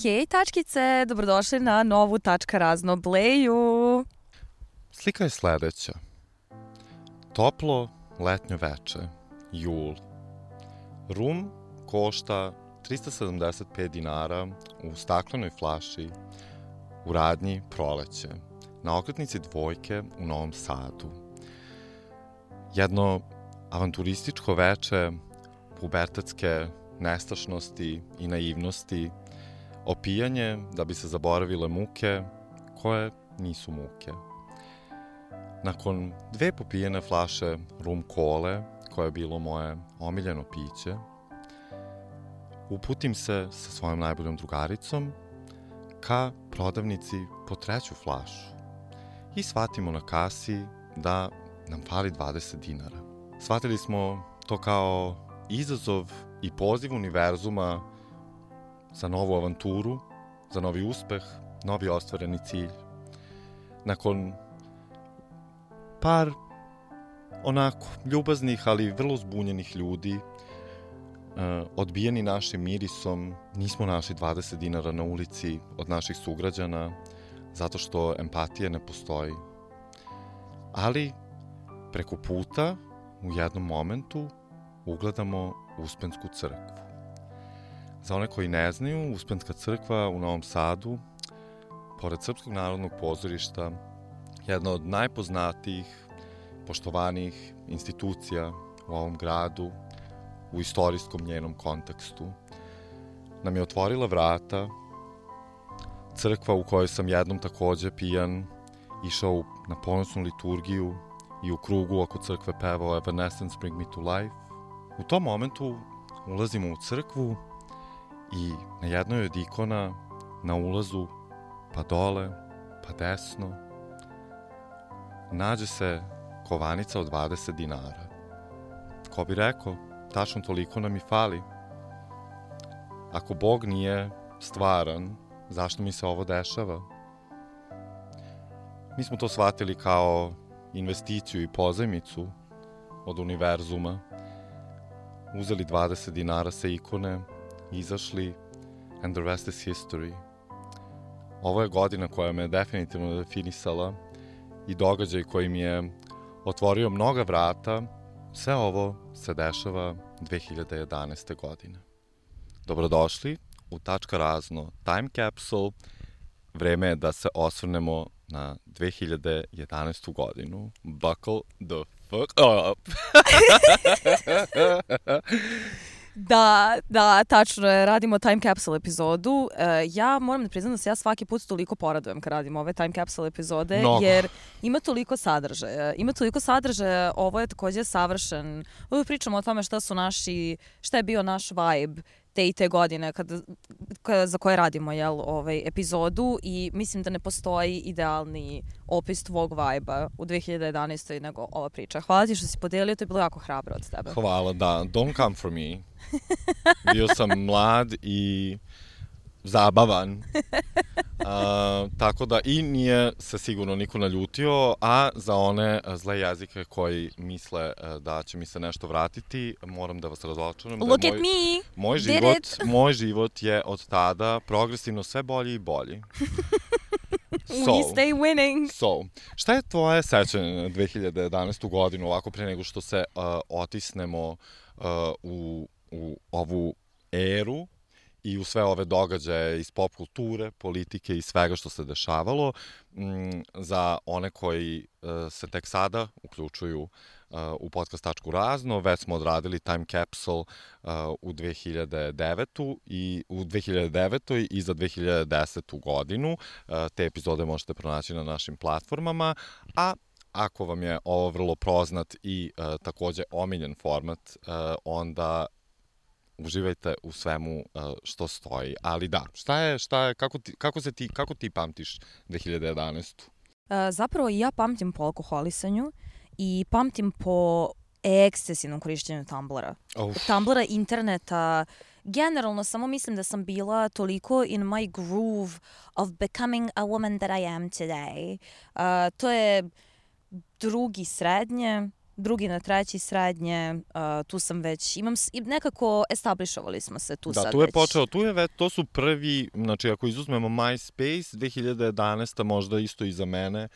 Hej tačkice, dobrodošli na novu Tačka razno Bleju. Slika je sledeća. Toplo letnjo veče, jul. Rum košta 375 dinara u staklenoj flaši u radnji Proleće, na okretnici Dvojke u Novom Sadu. Jedno avanturističko veče pubertetske nestašnosti i naivnosti, opijanje da bi se zaboravile muke koje nisu muke. Nakon 2 popijene flaše rum kole, koje je bilo moje omiljeno piće, uputim se sa svojom najboljom drugaricom ka prodavnici po 3. flašu i shvatimo na kasi da nam fali 20 dinara. Shvatili smo to kao izazov i poziv univerzuma za novu avanturu, za novi uspeh, novi ostvareni cilj. Nakon par onako ljubaznih, ali vrlo zbunjenih ljudi, odbijeni našim mirisom, nismo našli 20 dinara na ulici od naših sugrađana, zato što empatija ne postoji. Ali preko puta, u jednom momentu, ugledamo Uspensku crkvu. Za one koji ne znaju, Uspenska crkva u Novom Sadu, pored Srpskog narodnog pozorišta, jedna od najpoznatijih, poštovanijih institucija u ovom gradu, u istorijskom njenom kontekstu, nam je otvorila vrata. Crkva u kojoj sam jednom takođe pijan išao na ponosnu liturgiju i u krugu oko crkve pevao Evanescence Bring Me to Life. U tom momentu ulazimo u crkvu i na jednoj od ikona, na ulazu, pa dole, pa desno, nađe se kovanica od 20 dinara. Ko bi rekao, tačno toliko nam i fali. Ako Bog nije stvaran, zašto mi se ovo dešava? Mi smo to shvatili kao investiciju i pozajmicu od univerzuma. Uzeli 20 dinara sa ikone, izašli, and the rest is history. Ovo je godina koja me definitivno definisala i događaj koji mi je otvorio mnoga vrata. Sve ovo se dešava 2011. godine. Dobrodošli u Tačka razno Time Capsule. Vreme je da se osvrnemo na 2011. godinu. Buckle the fuck up! Da, tačno je, radimo Time Capsule epizodu. Ja moram da priznam da se ja svaki put toliko poradujem kad radimo ove Time Capsule epizode, jer ima toliko sadržaja. Ovo je takođe savršen. Uvijek pričamo o tome šta je bio naš vibe te i te godine za koje radimo epizodu, i mislim da ne postoji idealni opis tvog vibe-a u 2011. nego ova priča. Hvala ti što si podelio, to je bilo jako hrabro od tebe. Hvala, da. Don't come for me. Bio sam mlad i zabavan. Tako da i nije se sigurno niko naljutio, a za one zle jezike koji misle da će mi se nešto vratiti, moram da vas razočaram. Look at me! Moj život je od tada progresivno sve bolji i bolji. We stay winning. Šta je tvoje sećanje na 2011. godinu, ovako pre nego što se otisnemo u ovu eru i u sve ove događaje iz pop kulture, politike i svega što se dešavalo? Za one koji se tek sada uključuju u podcast Tačku razno, već smo odradili Time Capsule u 2009. i za 2010. godinu. Te epizode možete pronaći na našim platformama, a ako vam je ovo vrlo poznat i takođe omiljen format, onda uživajte u svemu što stoji. Ali da, kako ti pamtiš 2011. Zapravo i ja pamtim po alkoholisanju i pamtim po ekscesivnom korišćenju Tumblra. Tumblra, interneta, generalno samo mislim da sam bila toliko in my groove of becoming a woman that I am today. To je 2. srednje, drugi na treći srednje, tu sam već, nekako establishovali smo se tu sad već. Da, tu je počeo, to su prvi, znači ako izuzmemo MySpace, 2011. možda isto i za mene,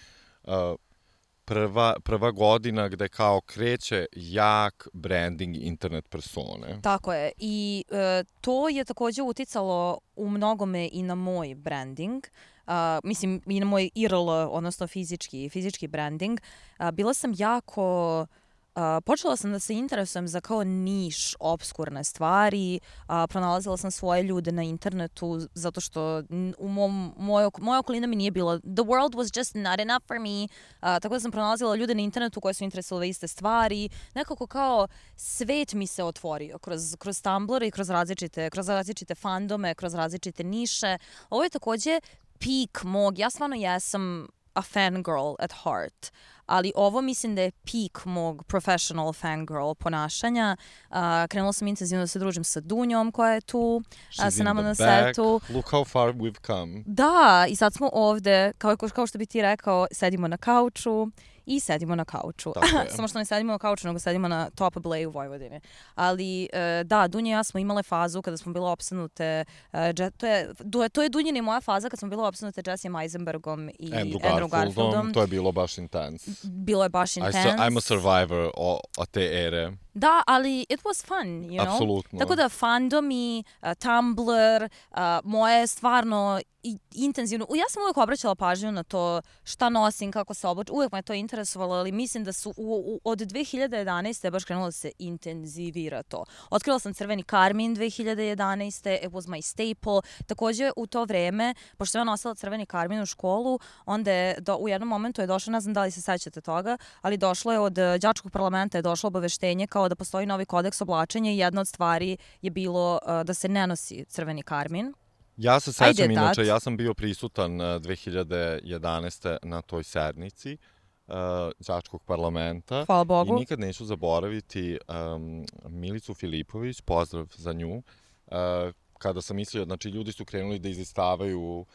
prva godina gde kao kreće jak branding internet persone. Tako je. I to je takođe uticalo u mnogome i na moj branding. Mislim, i na moj IRL, odnosno fizički branding. Bila sam jako... Počela sam da se interesujem za kao niš, obskurne stvari, pronalazila sam svoje ljude na internetu zato što moja okolina mi nije bila, the world was just not enough for me, tako da sam pronalazila ljude na internetu koje su interesovali iste stvari, nekako kao svet mi se otvorio kroz Tumblr i kroz različite fandome, kroz različite niše. Ovo je takođe peak mog, ja stvarno jesam a fangirl at heart, ali ovo mislim da je peak mog professional fangirl ponašanja. Krenula sam intenzivno da se družim sa Dunjom koja je tu, sa nama na setu. Look how far we've come. Da, i sad smo ovde, kao što bi ti rekao, sedimo na kauču i sedimo na kauču. Samo što ne sedimo na kauču, nego sedimo na Top Blay u Vojvodini. Ali da, Dunja i ja smo imale fazu kada smo bile opsednute, to je Dunjina i moja faza kad smo bile opsednute Jesse Eisenbergom i Andrew Garfieldom. To je bilo baš intense. Bilo je baš intense. I'm a survivor od te ere. Da, ali it was fun, you know? Apsolutno. Tako da fandomi, Tumblr, moje stvarno intenzivno... Ja sam uvijek obraćala pažnju na to šta nosim, kako se oblačim. Uvijek me to interesovalo, ali mislim da su od 2011. je baš krenulo da se intenzivira to. Otkrila sam crveni karmin 2011. It was my staple. Takođe u to vreme, pošto sam ja nosila crveni karmin u školu, onda je u jednom momentu je došlo, ne znam da li se sećate toga, ali došlo je od đačkog parlamenta je došlo obaveštenje kao da postoji novi kodeks oblačenja i jedna od stvari je bilo da se ne nosi crveni karmin. Ja se sećam, inače, ja sam bio prisutan 2011. na toj sednici đačkog parlamenta. Hvala Bogu. I nikad neću zaboraviti Milicu Filipović, pozdrav za nju, kada sam mislio, znači ljudi su krenuli da izlistavaju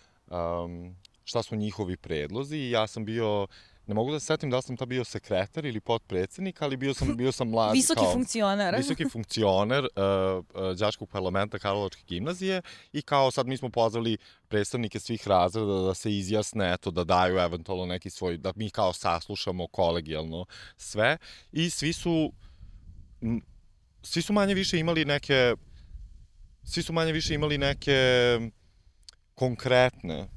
šta su njihovi predlozi i ja sam bio... Ne mogu da se setim da li sam ta bio sekretar ili potpredsednik, ali bio sam mlad. Visoki funkcioner đačkog parlamenta Karlovačke gimnazije i kao sad mi smo pozvali predstavnike svih razreda da se izjasne, eto, da daju eventualno neki svoj, da mi kao saslušamo kolegijalno sve i svi su manje više imali neke konkretne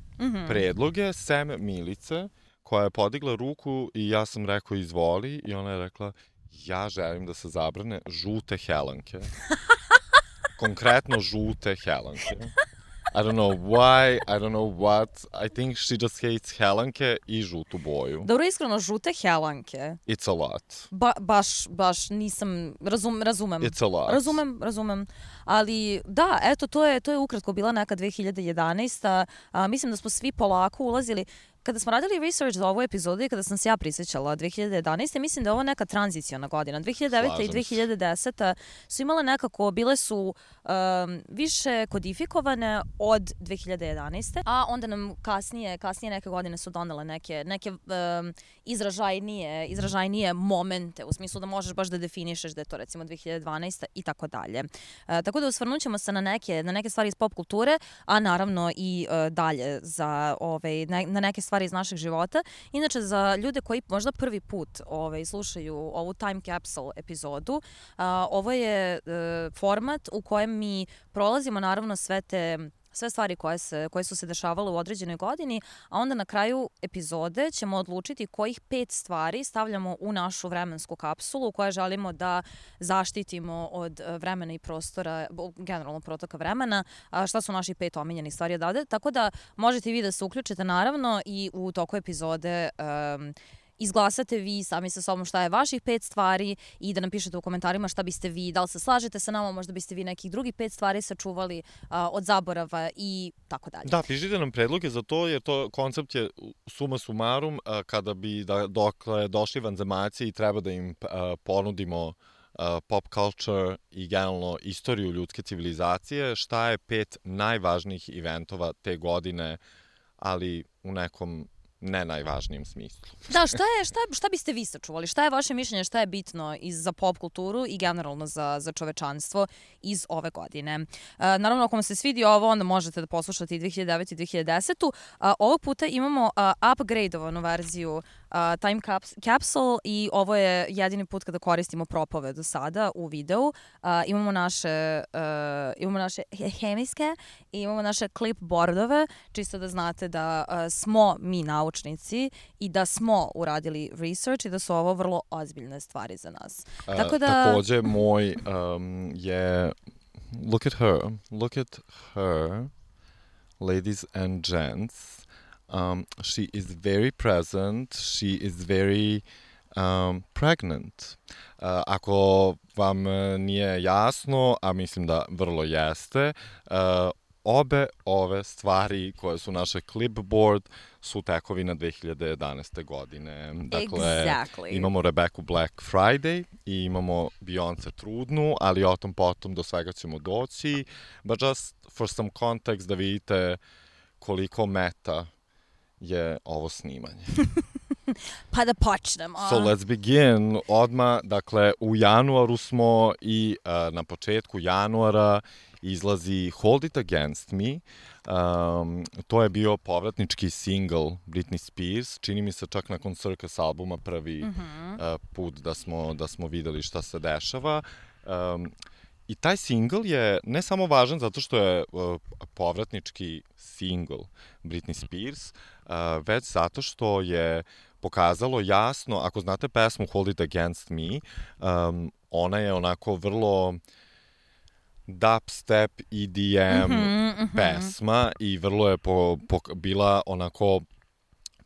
predloge, sem Milice, koja je podigla ruku i ja sam rekao izvoli i ona je rekla ja želim da se zabrane žute helanke. Konkretno žute helanke. I don't know why, I don't know what, I think she just hates helanke i žutu boju. Dobro, iskreno, žute helanke. It's a lot. Baš nisam, razumem. It's a lot. Razumem. Ali da, eto, to je ukratko bila neka 2011. Mislim da smo svi polako ulazili. Kada smo radili research za ovu epizodu i kada sam se ja prisjećala 2011. mislim da je ovo neka tranziciona godina. 2009. i 2010. su imale nekako, bile su više kodifikovane od 2011. A onda nam kasnije neke godine su donele neke izražajnije momente, u smislu da možeš baš da definišeš da je to recimo 2012. i tako dalje. Tako da osvrnut ćemo se na neke stvari iz pop kulture, a naravno i dalje na neke stvari iz našeg života. Inače, za ljude koji možda prvi put slušaju ovu Time Capsule epizodu, ovo je format u kojem mi prolazimo naravno sve stvari koje su se dešavale u određenoj godini, a onda na kraju epizode ćemo odlučiti kojih 5 stvari stavljamo u našu vremensku kapsulu koje želimo da zaštitimo od vremena i prostora, generalno protoka vremena, šta su naši 5 omiljenih stvari odavde. Tako da možete i vi da se uključite naravno i u toku epizode izglasate vi sami sa sobom šta je vaših 5 stvari i da nam pišete u komentarima šta biste vi, da li se slažete sa nama, možda biste vi nekih drugih 5 stvari sačuvali od zaborava i tako dalje. Da, pišite nam predloge za to, jer to koncept je suma sumarum, kada bi dokle došli vanzemaljci i treba da im ponudimo pop culture i generalno istoriju ljudske civilizacije, šta je 5 najvažnijih eventova te godine, ali u nekom ne najvažnijem smislu. Da, šta biste vi sačuvali? Šta je vaše mišljenje, šta je bitno za pop kulturu i generalno za čovečanstvo iz ove godine? Naravno, ako vam se svidi ovo, onda možete da poslušate i 2009. i 2010. Ovog puta imamo upgradeovanu verziju Time Capsule i ovo je jedini put kada koristimo propove do sada u videu. Imamo naše hemijske i imamo naše clipboardove, čisto da znate da smo mi naučnici i da smo uradili research i da su ovo vrlo ozbiljne stvari za nas. Takođe, moj je look at her, ladies and gents. She is very present, she is very pregnant. Ako vam nije jasno, a mislim da vrlo jeste, obe ove stvari koje su naše clipboard su tekovina 2011. godine. Dakle, imamo Rebecca Black Friday i imamo Beyoncé trudnu, ali o tom potom do svega ćemo doći. But just for some context da vidite koliko meta je ovo snimanje. Pa da počnemo. So let's begin. Odmah, dakle, u januaru smo i na početku januara izlazi Hold It Against Me. To je bio povratnički single Britney Spears. Čini mi se čak nakon Circus albuma prvi put da smo videli šta se dešava. I taj single je ne samo važan zato što je povratnički single Britney Spears, već zato što je pokazalo jasno, ako znate pesmu Hold It Against Me, ona je onako vrlo dubstep, EDM pesma i vrlo je bila onako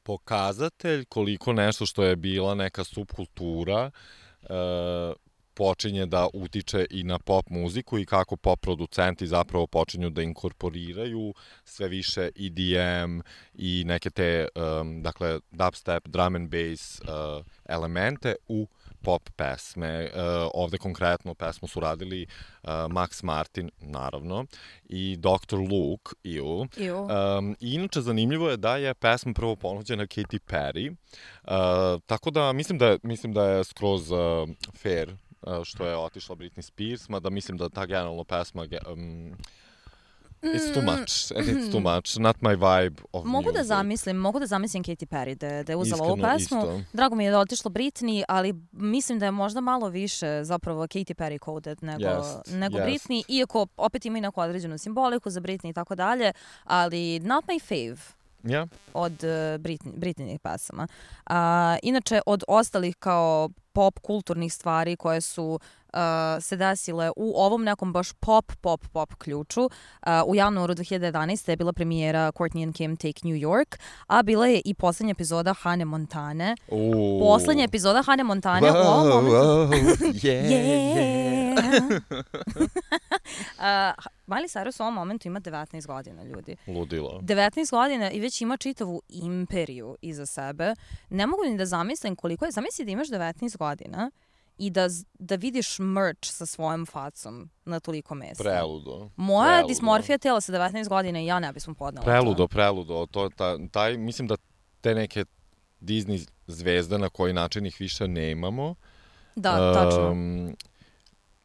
pokazatelj koliko nešto što je bila neka subkultura počinje da utiče i na pop muziku i kako pop producenti zapravo počinju da inkorporiraju sve više EDM i neke te, dakle, dubstep, drum and bass elemente u pop pesme. Ovde konkretno pesmu su radili Max Martin, naravno, i Dr. Luke, I inače zanimljivo je da je pesma prvo ponuđena Katy Perry, tako da mislim da je skroz fair što je otišla Britney Spears, mada mislim da ta generalno pesma it's too much, and it's too much, not my vibe of music. Mogu da zamislim Katy Perry da je uzela ovu pesmu. Drago mi je da je otišla Britney, ali mislim da je možda malo više zapravo Katy Perry coded nego Britney, iako opet ima i neku određenu simboliku za Britney i tako dalje, ali not my fave. Od Britneynih pesama. Inače, od ostalih kao pop kulturnih stvari koje su se desile u ovom nekom baš pop ključu. U januaru 2011. je bila premijera Courtney and Kim Take New York, a bila je i poslednja epizoda Hannah Montane. Poslednja epizoda Hannah Montane u ovom momentu. Miley Cyrus u ovom momentu ima 19 godina, ljudi. Ludilo. 19 godina i već ima čitavu imperiju iza sebe. Ne mogu ni da zamislim koliko je. Zamisli da imaš 19 godina i da vidiš merch sa svojom facom na toliko mesta. Preludo. Moja dismorfija tela sa 19 godina i ja ne bismo podnela Preludo. Mislim da te neke Disney zvezde, na koji način ih više nemamo, tačno.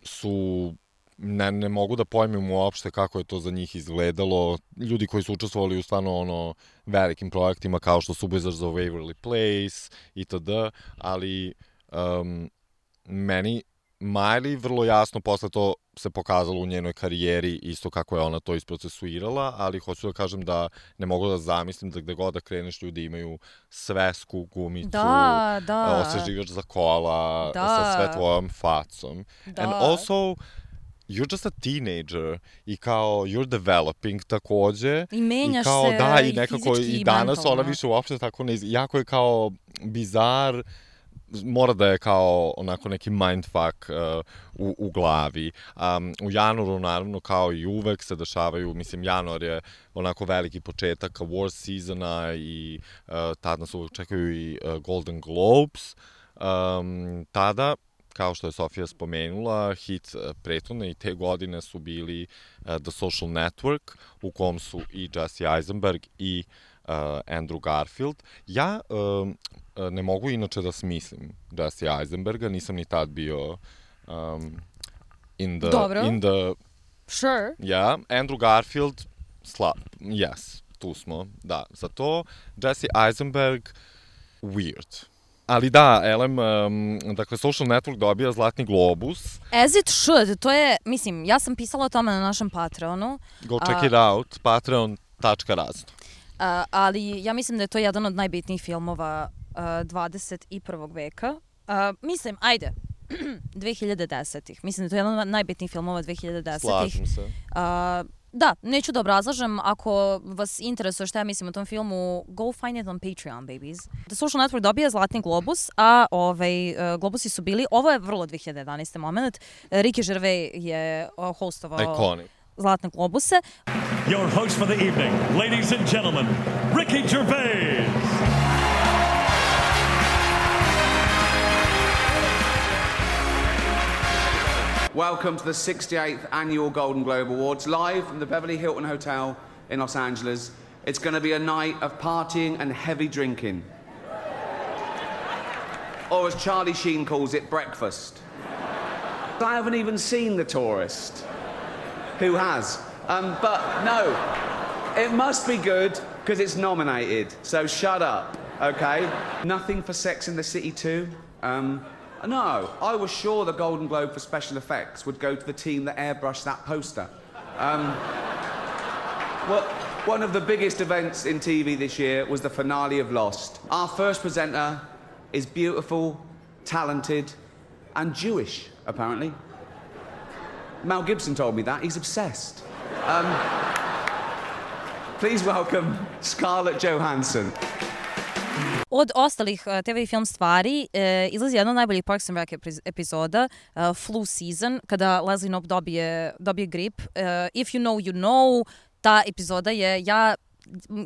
Su... Ne mogu da pojmim uopšte kako je to za njih izgledalo. Ljudi koji su učestvovali u stvarno velikim projektima kao što su Wizards of Waverly Place itd. Ali meni Miley vrlo jasno posle to se pokazalo u njenoj karijeri isto kako je ona to isprocesuirala, ali hoću da kažem da ne mogu da zamislim da gde god da kreneš ljudi imaju svesku, gumicu, osveživač za kola, sa sve tvojom facom. And also, you're just a teenager i kao you're developing takođe. I menjaš se i nekako i danas ona više uopšte tako ne jako je kao bizar, mora da je kao onako neki mindfuck u glavi. U januaru naravno kao i uvek se dešavaju, mislim januar je onako veliki početak award seasona i tada nas uvek čekaju i Golden Globes. Tada, kao što je Sofija spomenula, hit prethodne i te godine su bili The Social Network, u kom su i Jesse Eisenberg i Andrew Garfield. Ja ne mogu inače da smislim Jesse Eisenberga, nisam ni tad bio in the Sure. Yeah, Andrew Garfield, yes, tu smo, da, za to. Jesse Eisenberg, weird. Ali da, Elem, dakle, Social Network dobija Zlatni globus. As it should, to je, mislim, ja sam pisala o tome na našem Patreonu. Go check it out, patreon.razno. Ali ja mislim da je to jedan od najbitnijih filmova 21. veka. Mislim, ajde, 2010-ih. Mislim da je to jedan od najbitnijih filmova 2010-ih. Slažem se. Da, neću da obrazlažem. Ako vas interesuje šta ja mislim o tom filmu, go find it on Patreon, babies. The Social Network dobija Zlatni globus, a globusi su bili, ovo je vrlo 2011. moment, Ricky Gervais je hostovao Iconic. Zlatne globuse. Your host for the evening, ladies and gentlemen, Ricky Gervais. Welcome to the 68th Annual Golden Globe Awards, live from the Beverly Hilton Hotel in Los Angeles. It's going to be a night of partying and heavy drinking. Or as Charlie Sheen calls it, breakfast. I haven't even seen The Tourist. Who has? But no, it must be good because it's nominated. So shut up, okay? Nothing for Sex in the City 2? No, I was sure the Golden Globe for special effects would go to the team that airbrushed that poster. Well, one of the biggest events in TV this year was the finale of Lost. Our first presenter is beautiful, talented, and Jewish, apparently. Mel Gibson told me that. He's obsessed. Please welcome Scarlett Johansson. Od ostalih TV i film stvari izlazi jedna od najboljih Parks and Rec epizoda, Flu Season, kada Leslie Knope dobije grip. If you know, you know. Ta epizoda je,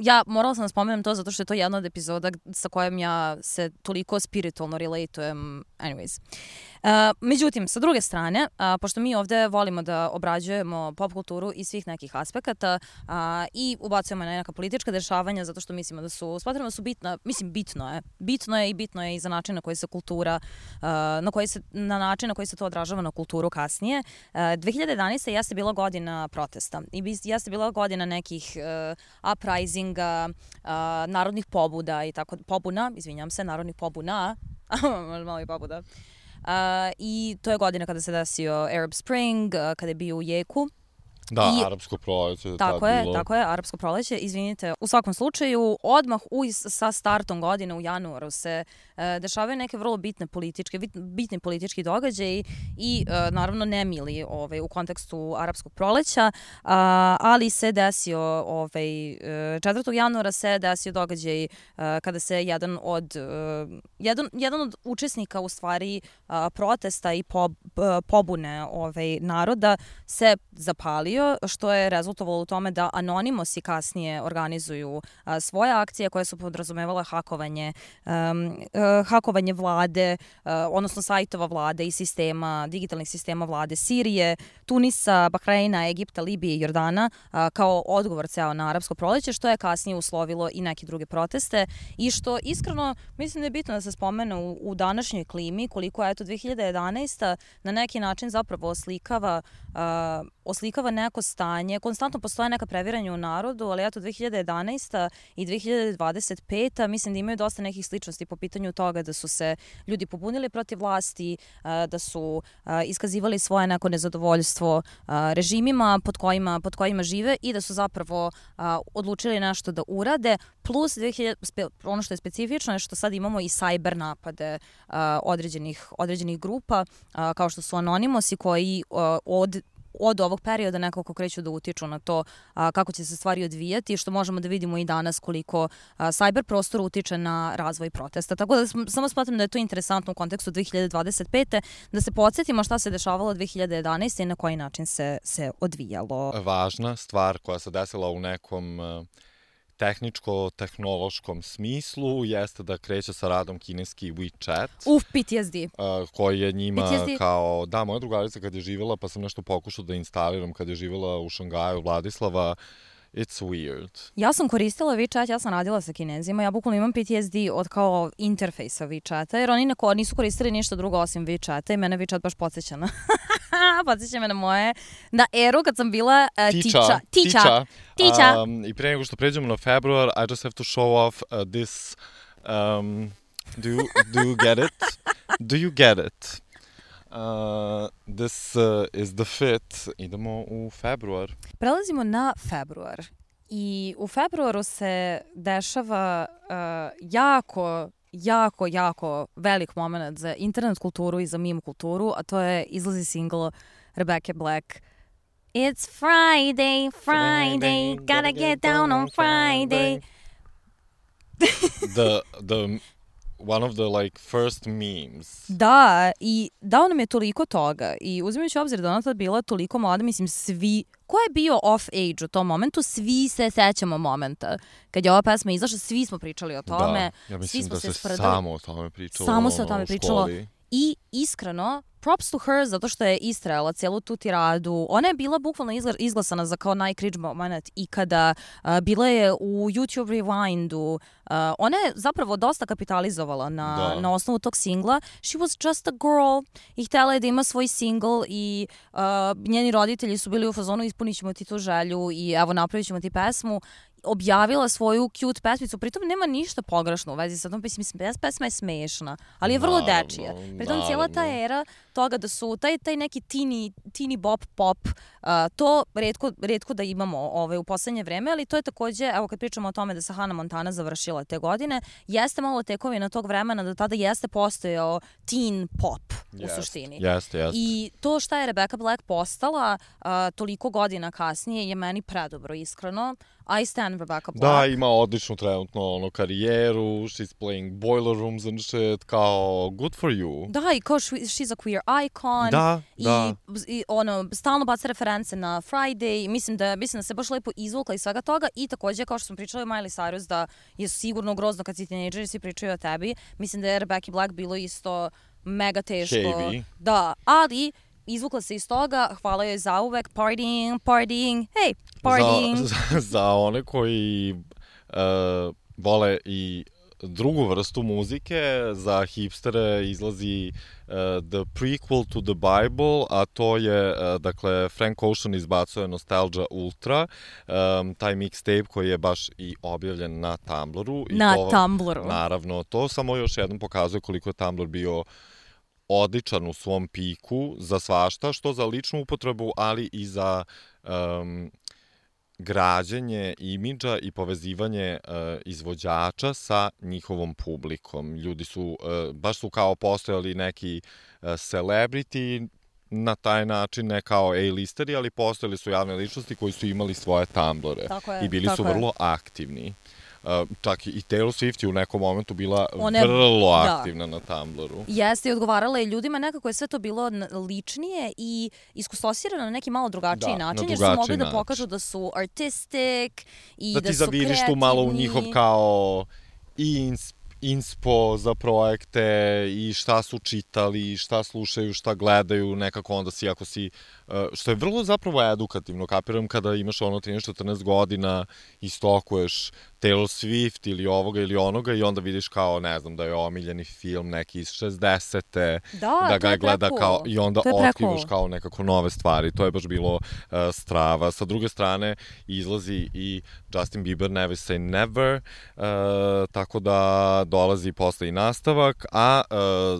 ja morala sam da spomenem to zato što je to jedna od epizoda sa kojom ja se toliko spiritualno relatujem. Anyways. Međutim, sa druge strane, pošto mi ovde volimo da obrađujemo pop kulturu iz svih nekih aspekata i ubacujemo na neka politička dešavanja zato što mislimo da su, smatramo da su bitna, mislim bitno je i za način na koji se kultura, na način na koji se to odražava na kulturu kasnije. 2011. jeste bila godina protesta i jeste bila godina nekih uprisinga, narodnih pobuda i tako, narodnih pobuna, malo i pobuda. I to je godina kada se desio Arab Spring, kada je bio u jeku. Da, arapsko proleće. Tako je, arapsko proleće, izvinite. U svakom slučaju, odmah sa startom godine u januaru se dešavaju neke vrlo bitni politički događaji i naravno nemili u kontekstu arapskog proleća, ali se desio 4. januara se desio događaj kada se jedan od učesnika u stvari protesta i pobune naroda se zapalio, što je rezultovalo u tome da Anonimosi kasnije organizuju svoje akcije koje su podrazumevale hakovanje vlade, odnosno sajtova vlade i digitalnih sistema vlade Sirije, Tunisa, Bahreina, Egipta, Libije i Jordana kao odgovor ceo na arapsko proleće, što je kasnije uslovilo i neke druge proteste i što iskreno mislim da je bitno da se spomene u današnjoj klimi koliko je 2011. na neki način zapravo oslikava neko stanje, konstantno postoje neka previranja u narodu, ali 2011. i 2025. mislim da imaju dosta nekih sličnosti po pitanju toga da su se ljudi pobunili protiv vlasti, da su iskazivali svoje neko nezadovoljstvo režimima pod kojima žive i da su zapravo odlučili nešto da urade, plus ono što je specifično je što sad imamo i cyber napade određenih grupa, kao što su Anonimosi koji od ovog perioda nekako kreću da utiču na to kako će se stvari odvijati, što možemo da vidimo i danas koliko cyber prostor utiče na razvoj protesta. Tako da samo smatram da je to interesantno u kontekstu 2025. da se podsjetimo šta se dešavalo 2011. i na koji način se odvijalo. Važna stvar koja se desila u nekom tehničko-tehnološkom smislu jeste da kreće sa radom kineski WeChat. PTSD. Koji je njima kao, da, moja drugarica kad je živjela, pa sam nešto pokušao da instaliram kad je živjela u Šangaju, Vladislava, it's weird. Ja sam koristila WeChat, ja sam radila sa Kinezima, ja bukvalno imam PTSD od kao interfejsa WeChata, jer oni nisu koristili ništa drugo osim WeChata i mene WeChat baš podsjeća na... podsjeća me na eru kad sam bila tiča. I pre nego što pređemo na februar, I just have to show off this... do you get it? Do you get it? This is the fit. Idemo u februar. Prelazimo na februar. I u februaru se dešava jako velik moment za internet kulturu i za meme kulturu, a to je izlazi single Rebecca Black. It's Friday, gotta get down on Friday. the one of the like first memes. Da, i dao nam je toliko toga i uzimajući obzir da ona tad bila toliko mlada, mislim svi, ko je bio off age u tom momentu, svi se sećamo momenta. Kad je ova pesma izašla, svi smo pričali o tome. Da, ja mislim svi smo da se spredali. samo o tome pričalo. Samo se o tome pričalo. Školi. I iskreno, props to her zato što je istrajala cijelu tu tiradu. Ona je bila bukvalno izglasana za kao najcringe moment ikada. Bila je u YouTube Rewindu. Ona je zapravo dosta kapitalizovala na osnovu tog singla. She was just a girl i htjela je da ima svoj single i njeni roditelji su bili u fazonu ispunit ćemo ti tu želju i evo napravit ćemo ti pesmu. Objavila svoju cute pesmicu, pritom nema ništa pogrešno u vezi sa tom pesma je smešna, ali je vrlo dečija. Pritom cijela ta era toga da su taj neki teeny bop pop, to retko da imamo u poslednje vreme, ali to je takođe, evo kad pričamo o tome da se Hannah Montana završila te godine, jeste malo tekovina tog vremena da tada jeste postojao teen pop u suštini. Jeste. I to šta je Rebecca Black postala toliko godina kasnije je meni predobro, iskreno. I stand Rebecca Black. Da, ima odličnu trenutno karijeru, she's playing boiler rooms and shit, kao good for you. Da, i kao she's a queer icon. Da. I stalno baca reference na Friday. Mislim da se baš lepo izvukla iz svega toga i takođe, kao što smo pričali o Miley Cyrus, da je sigurno grozno kad si tinejdžer i svi pričaju o tebi. Mislim da je Rebecca Black bilo isto mega teško. Heavy. Da, ali izvukla se iz toga, hvala joj za uvek, partying, hey, partying. Za one koji vole i drugu vrstu muzike, za hipstere izlazi the prequel to the Bible, a to je, dakle, Frank Ocean izbacuje Nostalgia Ultra, taj mixtape koji je baš i objavljen na Tumblru. Tumblru. Naravno, to samo još jednom pokazuje koliko je Tumblr bio odličan u svom piku za svašta, što za ličnu upotrebu, ali i za građenje imidža i povezivanje izvođača sa njihovom publikom. Ljudi su, baš su kao postojali neki celebrity na taj način, ne kao A-listeri, ali postojali su javne ličnosti koji su imali svoje Tumblre i bili su vrlo aktivni. Čak i Taylor Swift je u nekom momentu bila vrlo aktivna na Tumblru. Jeste, i odgovarala je ljudima, nekako je sve to bilo ličnije i iskustosirano na neki malo drugačiji način, jer su mogli da pokažu da su artistic i da su kreativni. Da ti zaviriš tu malo u njihov kao inspo za projekte i šta su čitali, šta slušaju, šta gledaju, nekako onda si, ako si, što je vrlo zapravo edukativno, kapiram kada imaš 13-14 godina i stokuješ Taylor Swift ili ovoga ili onoga i onda vidiš kao, ne znam, da je omiljeni film neki iz 60-te, da ga gleda kao, i onda otkrivaš kao nekako nove stvari. To je baš bilo strava. Sa druge strane, izlazi i Justin Bieber Never Say Never, tako da dolazi posle i nastavak, a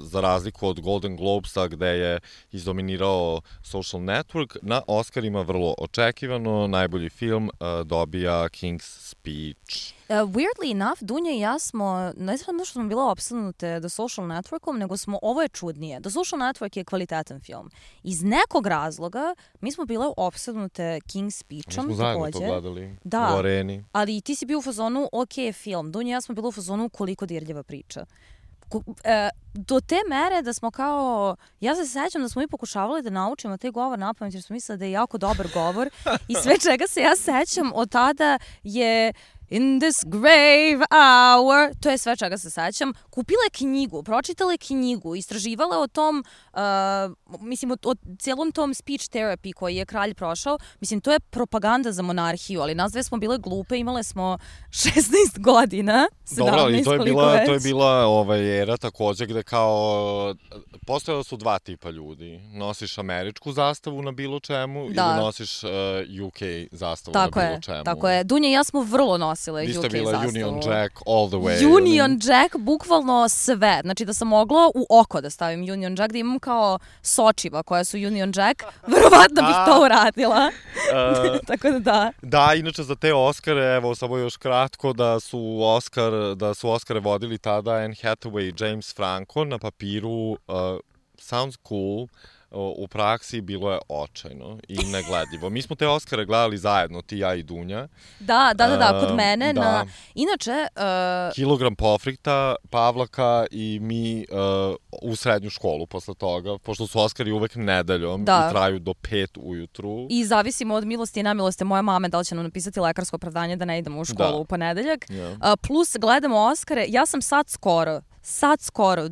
za razliku od Golden Globesa gde je izdominirao Social Network, na Oscarima vrlo očekivano, najbolji film dobija King's Speech. Weirdly enough, Dunja i ja smo, ne znam što smo bila opsednute The Social Networkom, nego ovo je čudnije. The Social Network je kvalitetan film. Iz nekog razloga mi smo bile opsednute King's Speechom. Mi smo zajedno to gledali u areni. Ali ti si bio u fazonu, ok, film. Dunja i ja smo bila u fazonu koliko dirljava priča. Do te mere da smo kao, ja se sećam da smo mi pokušavali da naučimo taj govor napamet jer smo mislili da je jako dobar govor i sve čega se ja sećam od tada je In this grave hour. To je sve čega se sećam. Kupila je knjigu, pročitala je knjigu, istraživala o tom, mislim, o cijelom tom speech therapy koji je kralj prošao. Mislim, to je propaganda za monarhiju, ali nas dve smo bile glupe, imale smo 16 godina, 17, dobro, i to je bila era takođe gde kao postojala su dva tipa ljudi. Nosiš američku zastavu na bilo čemu ili nosiš UK zastavu na bilo čemu. Tako je. Dunja i ja smo vrlo nosile UK zastavu. Vi ste bila Union Jack all the way. Union Jack, bukvalno sve. Znači da sam mogla u oko da stavim Union Jack, da imam kao sočiva koja su Union Jack, verovatno bih to uradila. Tako da da. Da, inače za te Oscare, evo samo još kratko, da su Oscare vodili tada Anne Hathaway i James Franco, na papiru sounds cool, u praksi bilo je očajno i negledljivo. Mi smo te Oscare gledali zajedno, ti, ja i Dunja. Da, kod mene. Da. Inače... Kilogram pofrikta, Pavlaka i mi u srednju školu posle toga, pošto su Oscari uvek nedeljom i traju do 5 ujutru. I zavisimo od milosti i nemilosti moje mame da li će nam napisati lekarsko opravdanje da ne idemo u školu u ponedeljak. Plus gledamo Oscare, ja sam sad skoro,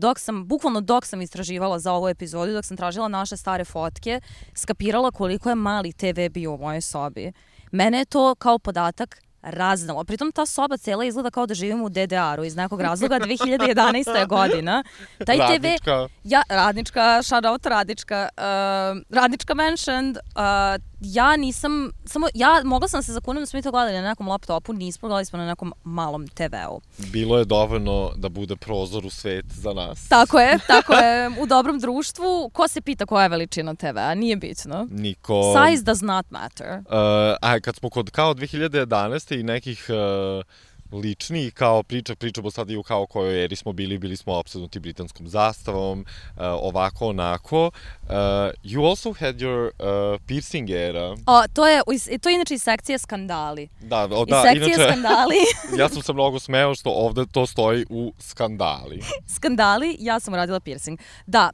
dok sam istraživala za ovu epizodu, dok sam tražila naše stare fotke, skapirala koliko je mali TV bio u mojoj sobi. Mene je to kao podatak raznalo. Pritom ta soba cela izgleda kao da živimo u DDR-u iz nekog razloga. 2011. godina. Taj Radnička. Radnička, shout out Radnička. Radnička mentioned. Mogla sam se zakunem da smo mi to gledali na nekom laptopu, nismo, gledali smo na nekom malom TV-u. Bilo je dovoljno da bude prozor u svet za nas. Tako je, u dobrom društvu. Ko se pita koja je veličina TV-a? Nije bitno. Niko. Size does not matter. Kad smo kod kao 2011. i nekih lični, kao pričamo sad i u kao kojoj eri smo bili smo opsednuti britanskom zastavom, ovako, onako. You also had your piercing era. To je inače iz sekcije skandali. Da, inače, skandali. Ja sam se mnogo smeo što ovde to stoji u skandali. Skandali, ja sam uradila piercing. Da,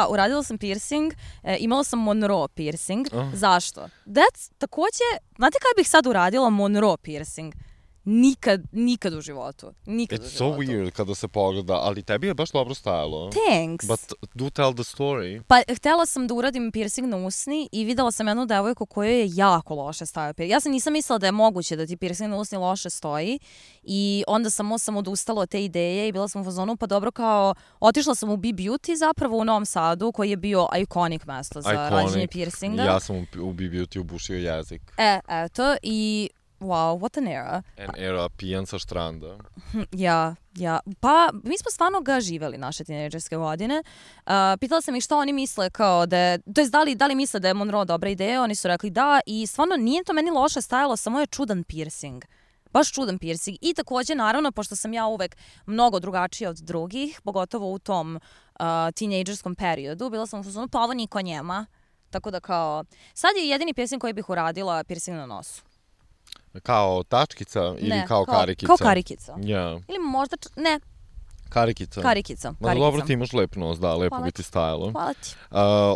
uradila sam piercing, imala sam Monroe piercing. Zašto? Takođe, znate kada bih sad uradila Monroe piercing? Nikad u životu. It's so weird kada se pogleda, ali tebi je baš dobro stajalo. Thanks. But do tell the story. Pa htela sam da uradim piercing na usni i videla sam jednu devojku kojoj je jako loše stajao piercing. Ja sam nisam mislila da je moguće da ti piercing na usni loše stoji i onda sam odustala od te ideje i bila sam u fazonu, pa dobro, kao otišla sam u B-Beauty zapravo u Novom Sadu, koji je bio iconic mesto za rađenje piercinga. Ja sam u B-Beauty ubušio jezik. Eto, i wow, what an era. An era pijan sa štranda. Ja. Pa, mi smo stvarno ga živeli naše tinejdžerske godine. Pitala sam ih šta oni misle kao da je, to jest da li misle da je Monroe dobra ideja, oni su rekli da i stvarno nije to meni loše stajalo, samo je čudan piercing. Baš čudan piercing. I takođe, naravno, pošto sam ja uvek mnogo drugačija od drugih, pogotovo u tom tinejdžerskom periodu, bila sam u fazonu, pa ovo niko njema. Tako da kao, sad je jedini piercing koji bih uradila piercing na nosu. Kao tačkica ili kao karikica? Kao karikica. Ja. Ili možda, ne. Karikica. Ma dobro, ti imaš lep nos, da, lepo bi ti stajalo. Hvala ti.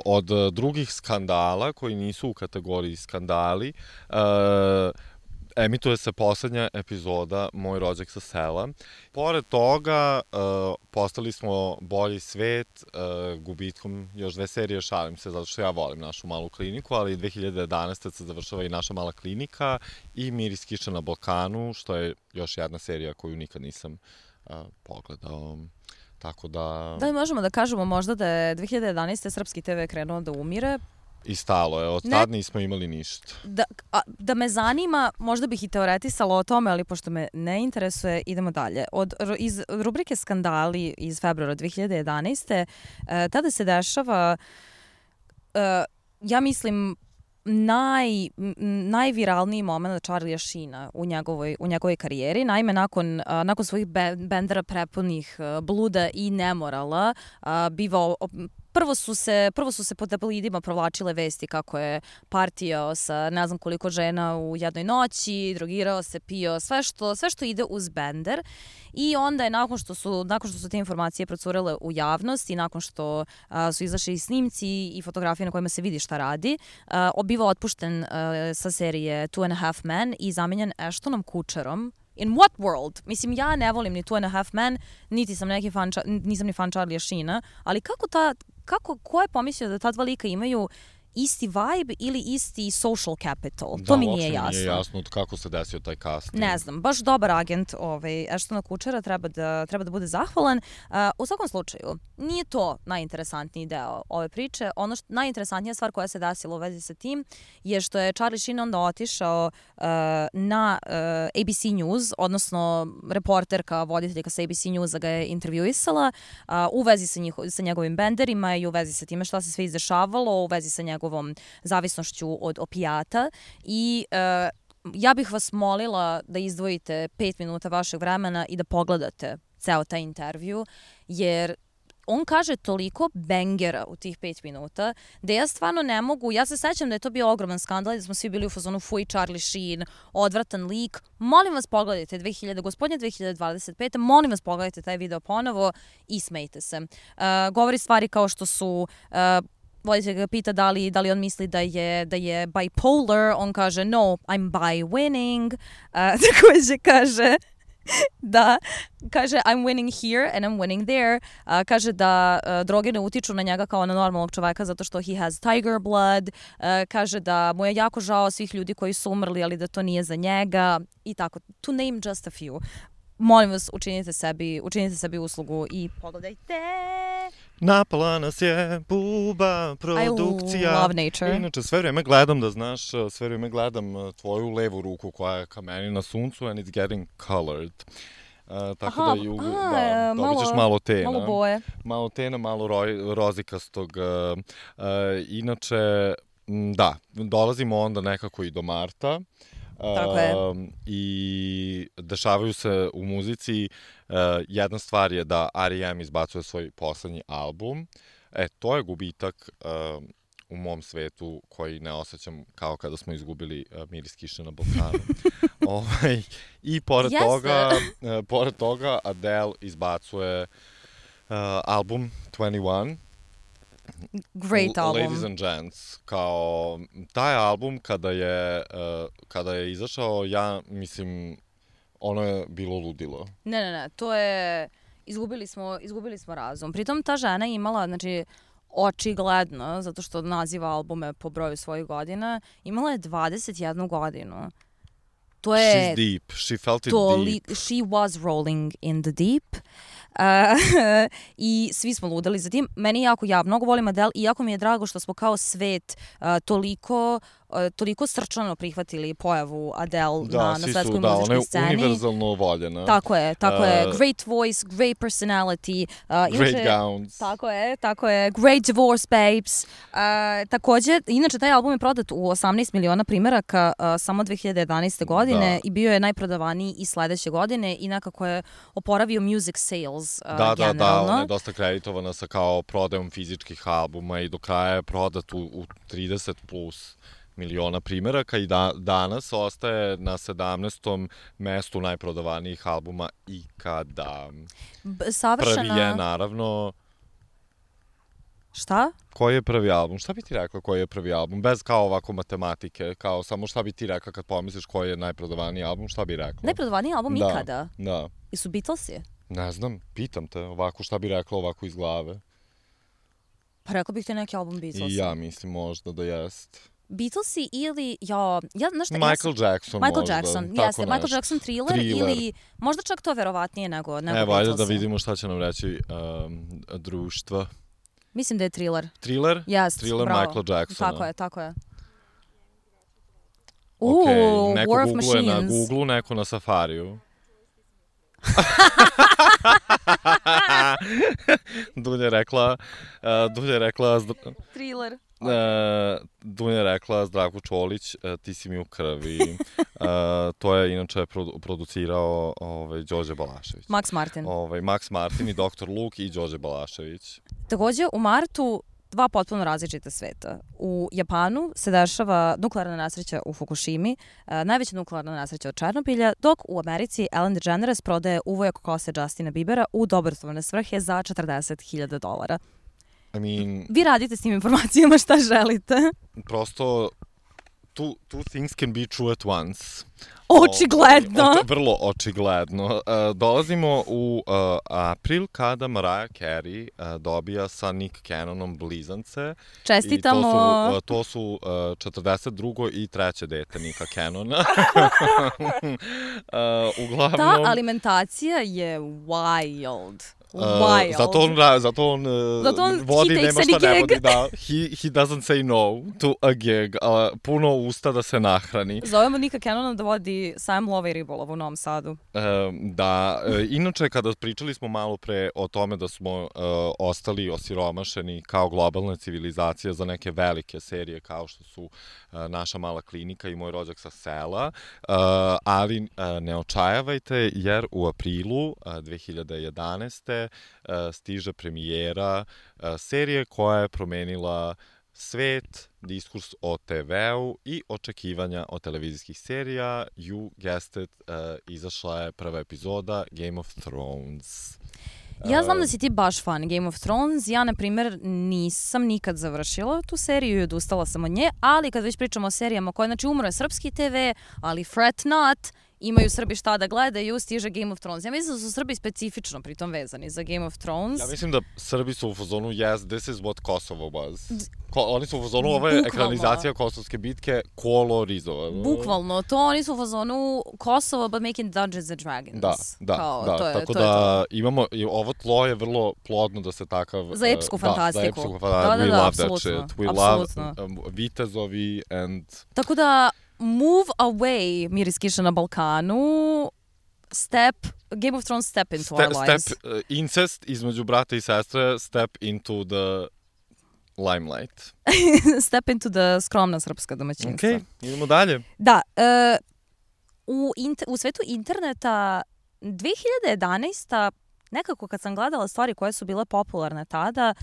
Od drugih skandala, koji nisu u kategoriji skandali, emituje se poslednja epizoda Moj rođak sa sela. Pored toga, postali smo bolji svet gubitkom još 2 serije, šalim se, zato što ja volim našu malu kliniku, ali 2011. se završava i naša mala klinika i Miris kiše na Balkanu, što je još jedna serija koju nikad nisam pogledao. Tako da... Da li možemo da kažemo možda da je 2011. srpski TV krenuo da umire? I stalo je, od tad nismo imali ništa. Da me zanima, možda bih i teoretisala o tome, ali pošto me ne interesuje, idemo dalje. Iz rubrike Skandali iz februara 2011. Tada se dešava, ja mislim, najviralniji moment Charlija Sheena u njegovoj karijeri. Naime, nakon svojih bendera prepunih bluda i nemorala, Prvo su se po tabloidima provlačile vesti kako je partijao sa ne znam koliko žena u jednoj noći, drogirao se, pio, sve što ide uz bender. I onda je nakon što su te informacije procurele u javnost i nakon što su izašli snimci i fotografije na kojima se vidi šta radi, biva otpušten sa serije Two and a Half Men i zamenjen Ashtonom Kutcherom, In what world? Mislim, ja ne volim ni Two and a Half Men, niti sam neki fan, nisam ni fan Charlie Sheena, ali ko je pomislio da ta dva lika imaju isti vibe ili isti social capital? To mi nije jasno. Da, nije jasno kako se desio taj casting. Ne znam, baš dobar agent Ashtona Kutchera, treba da bude zahvalan. U svakom slučaju, nije to najinteresantniji deo ove priče. Ono najinteresantnija stvar koja se desila u vezi sa tim je što je Charlie Sheen onda otišao na ABC News, odnosno reporterka, voditeljka sa ABC Newsa ga je intervjuisala u vezi sa njegovim benderima i u vezi sa time šta se sve izdešavalo, u vezi sa njegovom zavisnošću od opijata i ja bih vas molila da izdvojite 5 minuta vašeg vremena i da pogledate ceo taj intervju, jer on kaže toliko bangera u tih 5 minuta da ja stvarno ne mogu, ja se sećam da je to bio ogroman skandal, da smo svi bili u fazonu fuj Charlie Sheen, odvratan lik, molim vas pogledajte 2025. Molim vas pogledajte taj video ponovo i smejte se. Govori stvari kao što su voditelj ga pita da li on misli da je bipolar, on kaže no, I'm by winning. Takođe kaže I'm winning here and I'm winning there. Kaže da droge ne utiču na njega kao na normalnog čoveka zato što he has tiger blood. Kaže da mu je jako žao svih ljudi koji su umrli, ali da to nije za njega i tako. To name just a few. Molim vas, učinite sebi uslugu i pogledajte. Napala nas je Buba produkcija. I love nature. Inače, sve vrijeme gledam, da znaš, tvoju levu ruku koja je ka meni na suncu and it's getting colored. Tako da dobit ćeš malo tena. Malo boje. Malo tena, malo rozikastog. Inače, da, dolazimo onda nekako i do marta. Tako je. I dešavaju se u muzici. Jedna stvar je da R.E.M. izbacuje svoj poslednji album. To je gubitak u mom svetu koji ne osjećam kao kada smo izgubili miris kiše na Balkanu. I pored toga Adele izbacuje album 21. Great album. Ladies and Gents. Kao taj album kada je izašao, ja mislim, ono je bilo ludilo. Ne, to je izgubili smo razum. Pritom ta žena je imala, znači, očigledno, zato što naziva albume po broju svojih godina, imala je 21 godinu. To je... She's deep. She felt it deep. She was rolling in the deep. I svi smo ludali za tim. Ja mnogo volim Adele i jako mi je drago što smo kao svet toliko srčano prihvatili pojavu Adele na svetskoj muzičkoj sceni. Ona je univerzalno voljena. Tako je. Great voice, great personality. Great gowns. Tako je. Great divorce babes. Takođe, inače taj album je prodat u 18 miliona primeraka samo 2011. godine i bio je najprodavaniji i sledeće godine i nekako je oporavio music sales generalno. Da, ona je dosta kreditovana sa kao prodajom fizičkih albuma i do kraja je prodat u 30 plus miliona primeraka i danas ostaje na 17. mestu najprodavanijih albuma ikada. Savršena... Prvi je, naravno... Šta? Koji je prvi album? Šta bi ti rekla koji je prvi album? Bez kao ovako matematike, kao samo šta bi ti rekla kad pomisliš koji je najprodavaniji album, šta bi rekla? Najprodavaniji album ikada? Da. I su Beatlesi? Ne znam, pitam te, ovako šta bi rekla ovako iz glave? Pa rekla bih te neki album Beatlesa. I ja mislim možda da jest. Beatlesi ili, Michael Jackson možda. Jeste, Michael Jackson Thriller ili možda čak to verovatnije nego Beatlesi. Evo, ajde da vidimo šta će nam reći društva. Mislim da je Thriller. Thriller? Yes, Thriller bravo. Michael Jacksona. Tako je. Neko War of googluje Machines. na Google, neko na Safariju. Dunja je rekla Thriller. Dunja je rekla Zdravko Čolić, ti si mi u krvi. To je inače producirao Đorđe Balašević. Max Martin. Max Martin i Dr. Luke i Đorđe Balašević. Takođe, u martu dva potpuno različita sveta. U Japanu se dešava nuklearna nesreća u Fukushimi, najveća nuklearna nesreća od Černobilja, dok u Americi Ellen DeGeneres prodaje uvojak kose Justina Biebera u dobrotvorne svrhe za $40.000. I mean, Vi radite s tim informacijama šta želite. prosto two things can be true at once. Očigledno. Vrlo očigledno. Dolazimo u april kada Mariah Carey dobija sa Nick Cannonom blizance. Čestitamo. I to su 42. i 3. dete Nicka Cannona. Uglavnom... Ta alimentacija je wild. Zato on vodi, nema šta ne vodi, da. He doesn't say no to a gig. Puno usta da se nahrani. Zovemo Nicka Cannona da vodi sajam lova i ribolova u Novom Sadu. Da, inače kada pričali smo malo pre o tome da smo ostali osiromašeni kao globalna civilizacija za neke velike serije kao što su Naša mala klinika i Moj rođak sa sela, ali ne očajavajte jer u aprilu 2011. stiže premijera serije koja je promenila svet, diskurs o TV-u i očekivanja od televizijskih serija. You guessed it, izašla je prva epizoda Game of Thrones. Ja znam da si ti baš fan Game of Thrones. Ja, na primjer, nisam nikad završila tu seriju i odustala sam od nje, ali kad već pričamo o serijama koje, znači, umro je srpski TV, ali fret not, imaju Srbi šta da gledaju, stiže Game of Thrones. Ja mislim da su Srbi specifično pritom vezani za Game of Thrones. Ja mislim da Srbi su u fazonu yes, this is what Kosovo was. Oni su u fazonu ove ekranizacija Kosovske bitke kolorizovane. Bukvalno, to oni su u fazonu Kosovo but making Dungeons and Dragons. Da, tako da imamo, ovo tlo je vrlo plodno da se takav... Za epsku fantastiku. Za epsku fantastiku. We love that shit. We love vitezovi and... Tako da, move away, Miris Kiša na Balkanu, Game of Thrones step into our lives. Incest između brata i sestre, step into the limelight. Step into the skromna srpska domaćinstva. Ok, idemo dalje. Da, u svetu interneta 2011. nekako kad sam gledala stvari koje su bile popularne tada,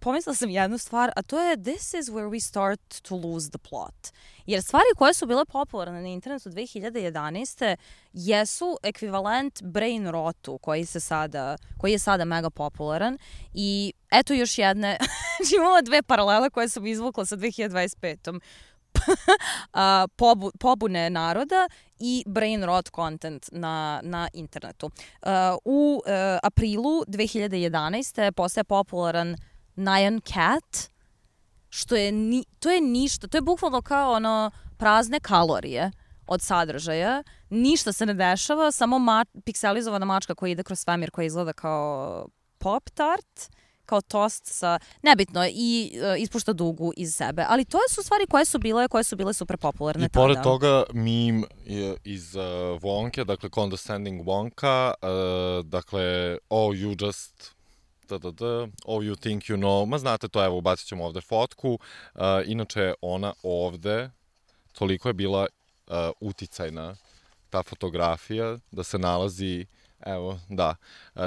pomislila sam jednu stvar, a to je this is where we start to lose the plot. Jer stvari koje su bile popularne na internetu 2011. jesu ekvivalent brain rotu koji je sada mega popularan. I eto još jedne, imamo dve paralele koje sam izvukla sa 2025. Pobune naroda i brain rot content na internetu. U aprilu 2011. postaje popularan Nyan Cat, to je ništa, to je bukvalno kao ono prazne kalorije od sadržaja, ništa se ne dešava, samo pikselizovana mačka koja ide kroz svemir koja izgleda kao Pop-Tart, kao tost sa, nebitno, i ispušta dugu iz sebe. Ali to su stvari koje su bile super popularne tada. I pored toga meme iz Wonke, dakle Condescending Wonka, dakle oh you just oh you think you know, ma znate to, evo ubacit ćemo ovde fotku, inače ona ovde toliko je bila uticajna ta fotografija da se nalazi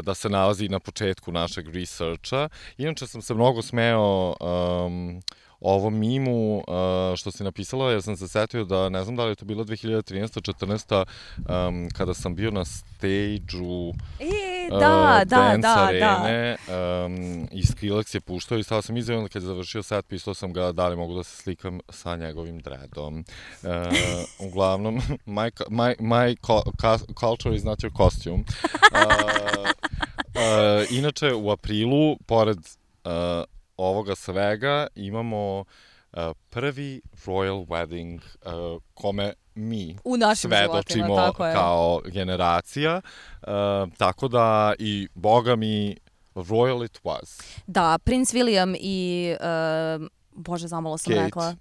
da se nalazi na početku našeg researcha. Inače sam se mnogo smeo ovom mimu što si napisala, jer sam se setio da, ne znam da li je to bilo 2013-14, kada sam bio na stage-u Dance Arene i Skrillex je puštao i stao sam izavljeno kad je završio set, pisao sam ga da li mogu da se slikam sa njegovim dreadom. Uglavnom, my culture is not your costume. Inače, u aprilu, pored ovoga svega, imamo prvi royal wedding kome mi svedočimo kao generacija. Tako da i boga mi royal it was. Da, Prince William i Bože, zamalo sam rekla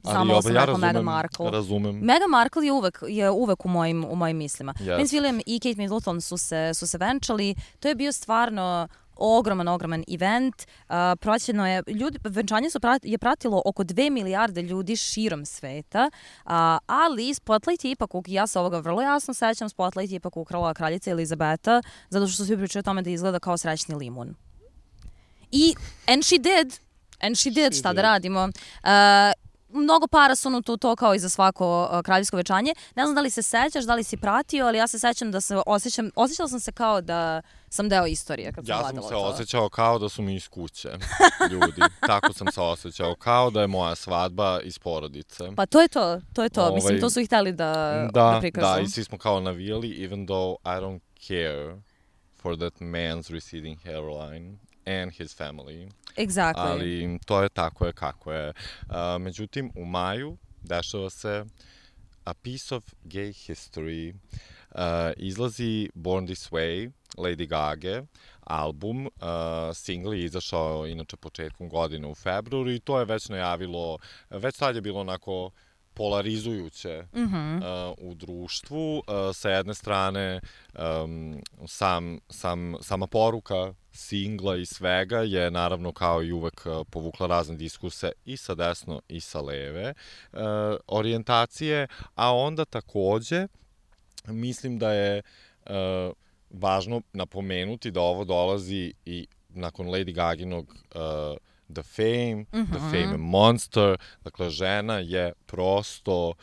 Meghan Markle. Razumem. Meghan Markle je uvek u mojim mislima. Yes. Prince William i Kate Middleton su se venčali. To je bio stvarno ogroman event. Venčanje je pratilo oko 2 milijarde ljudi širom sveta, ali Spotlight je ipak, ja se ovoga vrlo jasno sećam, Spotlight je ipak ukrala kraljica Elizabeta, zato što svi pričaju o tome da izgleda kao srećni limun. And she did, šta da radimo. mnogo para su unuto u to kao i za svako kraljevsko večanje. Ne znam da li se sećaš, da li si pratio, ali ja se sećam da se osjećala sam se kao da sam deo istorije kad sam gledala to. Ja sam se osjećao kao da su mi iz kuće ljudi. Tako sam se osjećao, kao da je moja svadba iz porodice. Pa to je to. Mislim, to su ih hteli da prikažu. Da, i svi smo kao navijali, even though I don't care for that man's receding hairline and his family. Exactly. Ali to je tako je kako je. Međutim, u maju dešava se A Piece of Gay History. Izlazi Born This Way, Lady Gaga, album. Single je izašao inače početkom godine u februaru i to je već najavilo, već sad je bilo onako polarizujuće u društvu. Sa jedne strane, sama poruka singla i svega je naravno kao i uvek povukla razne diskuse i sa desno i sa leve orijentacije, a onda takođe mislim da je važno napomenuti da ovo dolazi i nakon Lady Gaginog The Fame, The Fame Monster, dakle žena je prosto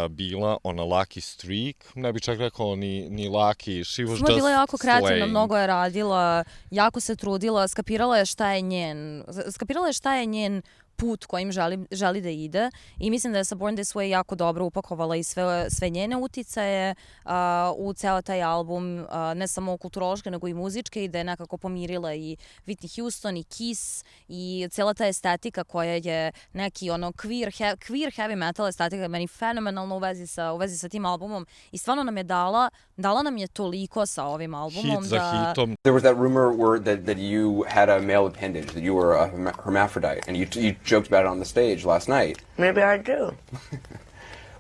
bila on a lucky streak, ne bih čak rekao ni lucky, she was just bila jako kreativna, slaying. mnogo je radila, jako se trudila, skapirala je šta je njen put kojim želi da ide i mislim da je sa Born This Way jako dobro upakovala i sve njene uticaje u ceo taj album, ne samo kulturološke nego i muzičke, i da je nekako pomirila i Whitney Houston i Kiss i cijela ta estetika koja je neki ono queer heavy metal estetika, meni fenomenalno u vezi sa tim albumom i stvarno nam je dala nam je toliko sa ovim albumom. Hit za hitom. There was that rumor that you had a male appendage, that you were a hermaphrodite, and you joked about it on the stage last night. Maybe I do.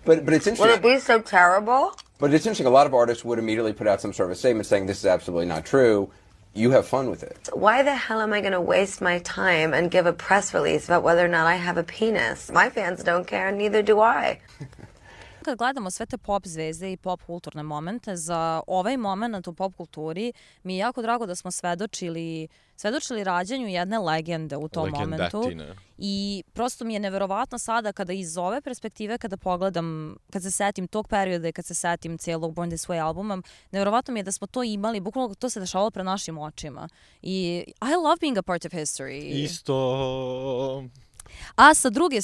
But it's interesting. Would it be so terrible? But it's interesting. A lot of artists would immediately put out some sort of a statement saying this is absolutely not true. You have fun with it. Why the hell am I going to waste my time and give a press release about whether or not I have a penis? My fans don't care, neither do I. Kad gledamo sve te pop zvezde i pop kulturne momente, za ovaj moment u pop kulturi mi je jako drago da smo svedočili rađanju jedne legende u tom momentu. I prosto mi je neverovatno sada kada iz ove perspektive, kada pogledam, kad se setim tog perioda i kad se setim cijelog Born This Way albuma, neverovatno mi je da smo to imali, bukvalno to se dešavalo pred našim očima. I I love being a part of history. Isto. A sa druge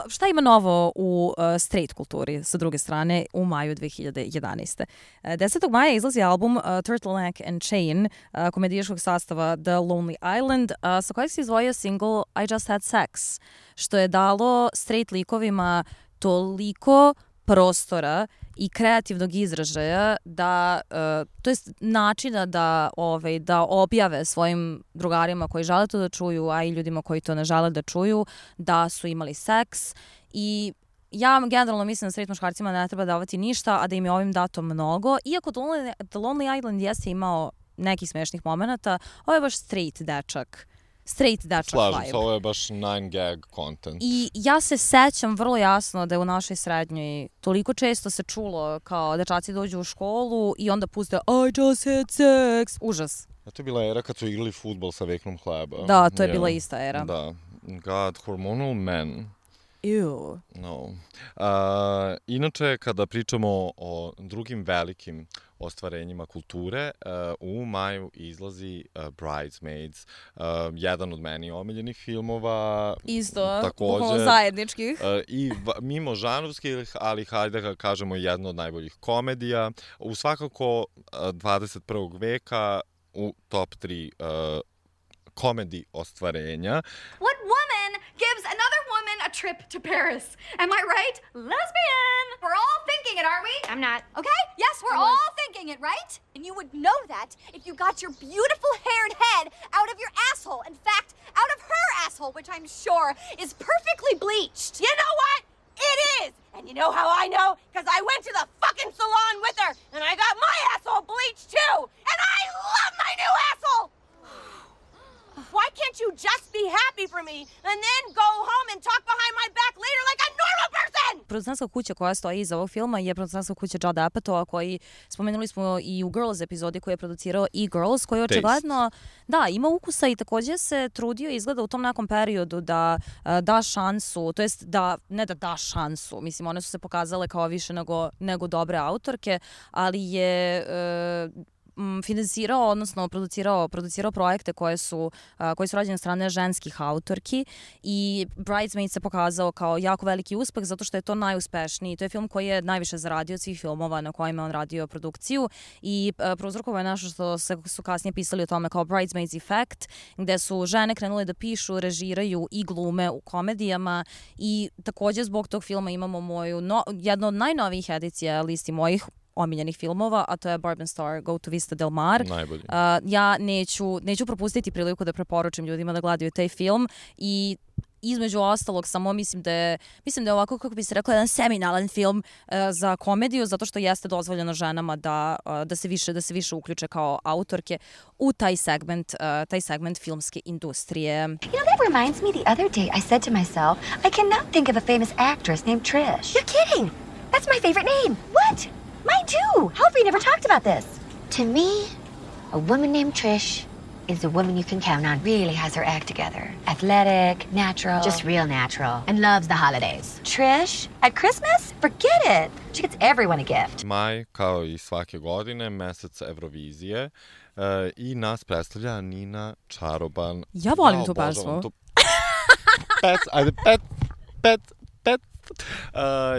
šta ima novo u straight kulturi, sa druge strane, u maju 2011. 10. maja izlazi album Turtleneck and Chain komedijaškog sastava The Lonely Island, sa kojeg se izdvojio single I Just Had Sex, što je dalo straight likovima toliko prostora i kreativnog izražaja to jest načina da objave svojim drugarima koji žele to da čuju, a i ljudima koji to ne žele da čuju, da su imali seks. I ja generalno mislim da straight muškarcima ne treba davati ništa, a da im je ovim dato mnogo. Iako The Lonely Island jeste imao nekih smešnih momenata, ovo je baš straight dečak vibe. Slažem se, ovo je baš 9 gag content. I ja se sećam vrlo jasno da je u našoj srednjoj toliko često se čulo kao dečaci dođu u školu i onda puste I just had sex. Užas. A to je bila era kad su igrali fudbal sa veknom hleba. Da, to je bila ista era. Da. God, hormonal men. Ew. No. Inače, kada pričamo o drugim velikim ostvarenjima kulture, u maju izlazi Bridesmaids, jedan od meni omiljenih filmova. Isto, takođe, zajedničkih. I mimo žanrovskih, ali hajde da kažemo jedna od najboljih komedija. U svakako 21. veka u top 3 komedi ostvarenja. What woman gives another woman a trip to Paris? Am I right? Lesbian! We're all thinking it, aren't we? I'm not. Okay? Yes, we're all thinking it, right? And you would know that if you got your beautiful haired head out of your asshole. In fact, out of her asshole, which I'm sure is perfectly bleached. You know what? It is! And you know how I know? Because I went to the fucking salon with her, and I got my asshole bleached too! And I love my new asshole! Why can't you just be happy for me and then go home and talk behind my back later like a normal person? producentska kuća koja stoji iza ovog filma je producentska kuća Judd Apatow, koji spomenuli smo i u Girls epizodi koji je producirao E-Girls, koji očigledno ima ukusa i takođe se trudio izgleda u tom nekom periodu da da šansu, to jest ne da šansu, mislim one su se pokazale kao više nego dobre autorke, ali je finansirao, odnosno producirao projekte koji su rađene od strane ženskih autorki i Bridesmaids se pokazao kao jako veliki uspeh zato što je to najuspešniji. To je film koji je najviše zaradio od svih filmova na kojima on radio produkciju i prouzrokovao je nešto što su kasnije pisali o tome kao Bridesmaids Effect, gde su žene krenule da pišu, režiraju i glume u komedijama i takođe zbog tog filma imamo jednu od najnovijih edicija listi mojih omiljenih filmova, a to je Barb and Star Go to Vista Del Mar. Najbolji. Ja neću propustiti priliku da preporučim ljudima da gledaju taj film i između ostalog samo mislim da je ovako, kako bi se rekla, jedan seminalan film za komediju, zato što jeste dozvoljeno ženama da se više uključe kao autorke u taj segment filmske industrije. You know, that reminds me, the other day I said to myself, I cannot think of a famous actress named Trish. You're kidding! That's my favorite name. What? Mine too! How have we never talked about this? To me, a woman named Trish is a woman you can count on. Really has her act together. Athletic, natural. Just real natural. And loves the holidays. Trish, at Christmas? Forget it! She gets everyone a gift. Maj, kao i svake godine, mesec Eurovizije i nas predstavlja Nina Čaroban. Ja volim tu pesmu. Pet.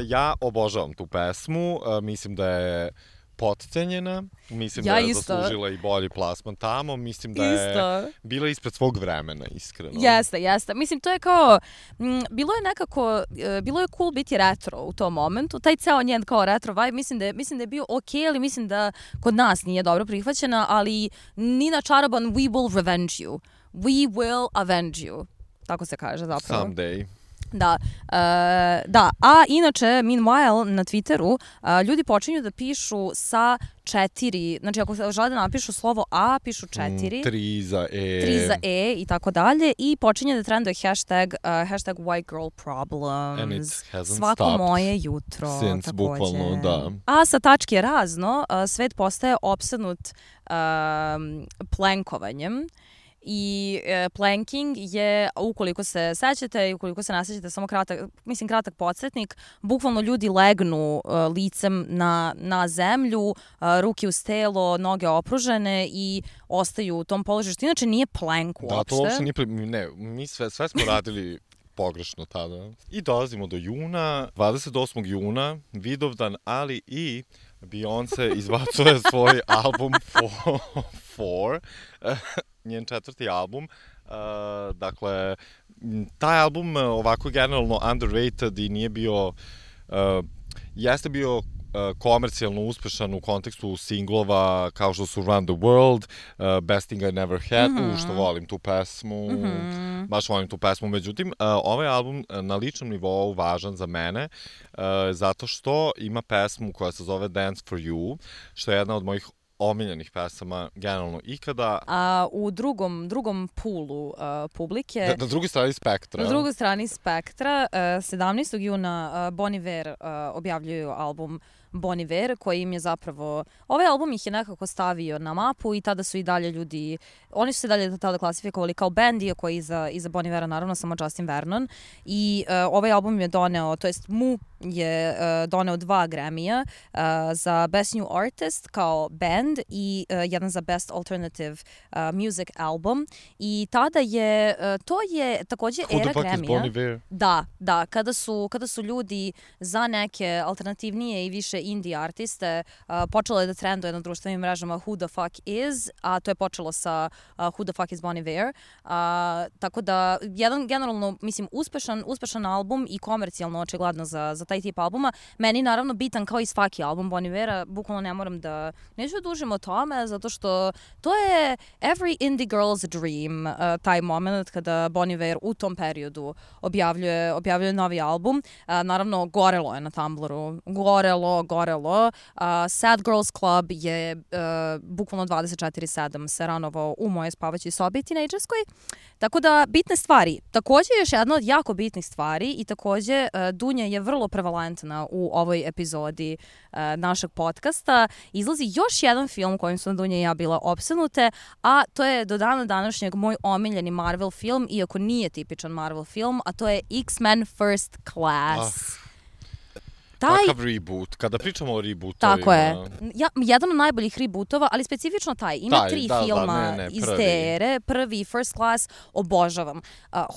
Ja obožavam tu pesmu, mislim da je potcenjena, mislim da je zaslužila i bolji plasman tamo, mislim da je bila ispred svog vremena, iskreno. Jeste. Mislim, to je kao, bilo je cool biti retro u tom momentu, taj ceo njen kao retro vibe, mislim da je bio okej, ali mislim da kod nas nije dobro prihvaćena, ali Nina Čaroban, we will revenge you. We will avenge you. Tako se kaže zapravo. Someday. Da, a inače, meanwhile, na Twitteru ljudi počinju da pišu sa 4, znači ako žele da napišu slovo A, pišu 4. 3 za E. 3 za E i tako dalje i počinje da trenduje hashtag white girl problems. And it hasn't Svako moje jutro. Since, bukvalno, da. A sa tačke razno, svet postaje opsednut plankovanjem. I planking je, ukoliko se sećate i ukoliko se ne sećate, samo kratak podsjetnik, bukvalno ljudi legnu licem na zemlju, ruke uz telo, noge opružene i ostaju u tom položaju, što inače nije plank uopšte. Da, to uopšte nije, mi sve smo radili pogrešno tada. I dolazimo do juna, 28. juna, Vidovdan, ali i Beyoncé izbacuje svoj album Four, njen 4. album. Dakle, taj album ovako generalno underrated i nije bio, jeste bio komercijalno uspešan u kontekstu singlova kao što su Run the World, Best Thing I Never Had, što volim tu pesmu, baš volim tu pesmu. Međutim, ovaj album na ličnom nivou važan za mene zato što ima pesmu koja se zove Dance for You, što je jedna od mojih omiljenih pesama generalno ikada. A u drugom poolu publike... Na drugoj strani spektra. Na drugoj strani spektra, 17. juna Bon Iver objavljuju album Bon Iver, koji im je zapravo... Ovaj album ih je nekako stavio na mapu i tada su i dalje ljudi... Oni su se dalje tada klasifikovali kao band, iako je iza Bon Ivera naravno samo Justin Vernon. I ovaj album je doneo, to jest Mu je doneo 2 Grammyja za Best New Artist kao band i jedan za Best Alternative Music Album. I tada je... To je takođe era Grammyja. Who the fuck is Bon Iver? Da. Kada su ljudi za neke alternativnije i više indie artiste počelo je da trenduje na društvenim mrežama Who the fuck is, a to je počelo sa Who the fuck is Bon Iver. Tako da, jedan generalno, mislim, uspešan album i komercijalno očigledno za taj tip albuma. Meni naravno bitan kao i svaki album Bon Ivera, bukvalno ne moram da... Neću da dužim o tome, zato što to je every indie girl's dream, taj moment kada Bon Iver u tom periodu objavljuje novi album. Naravno, gorelo je na Tumblru. Gorelo gorelo. Sad Girls Club je bukvalno 24/7 se ranovao u mojoj spavaćoj sobi tinejdžerskoj. Tako da, bitne stvari. Takođe, još jedna od jako bitnih stvari i takođe Dunja je vrlo prevalentna u ovoj epizodi našeg podcasta. Izlazi još jedan film kojim su Dunja i ja bila opsednute, a to je do dana današnjeg moj omiljeni Marvel film, iako nije tipičan Marvel film, a to je X-Men First Class. Takav reboot, kada pričamo o rebootovima. Tako je. Jedan od najboljih rebootova, ali specifično taj. Ima 3 filma iz te ere. Prvi, First Class, obožavam.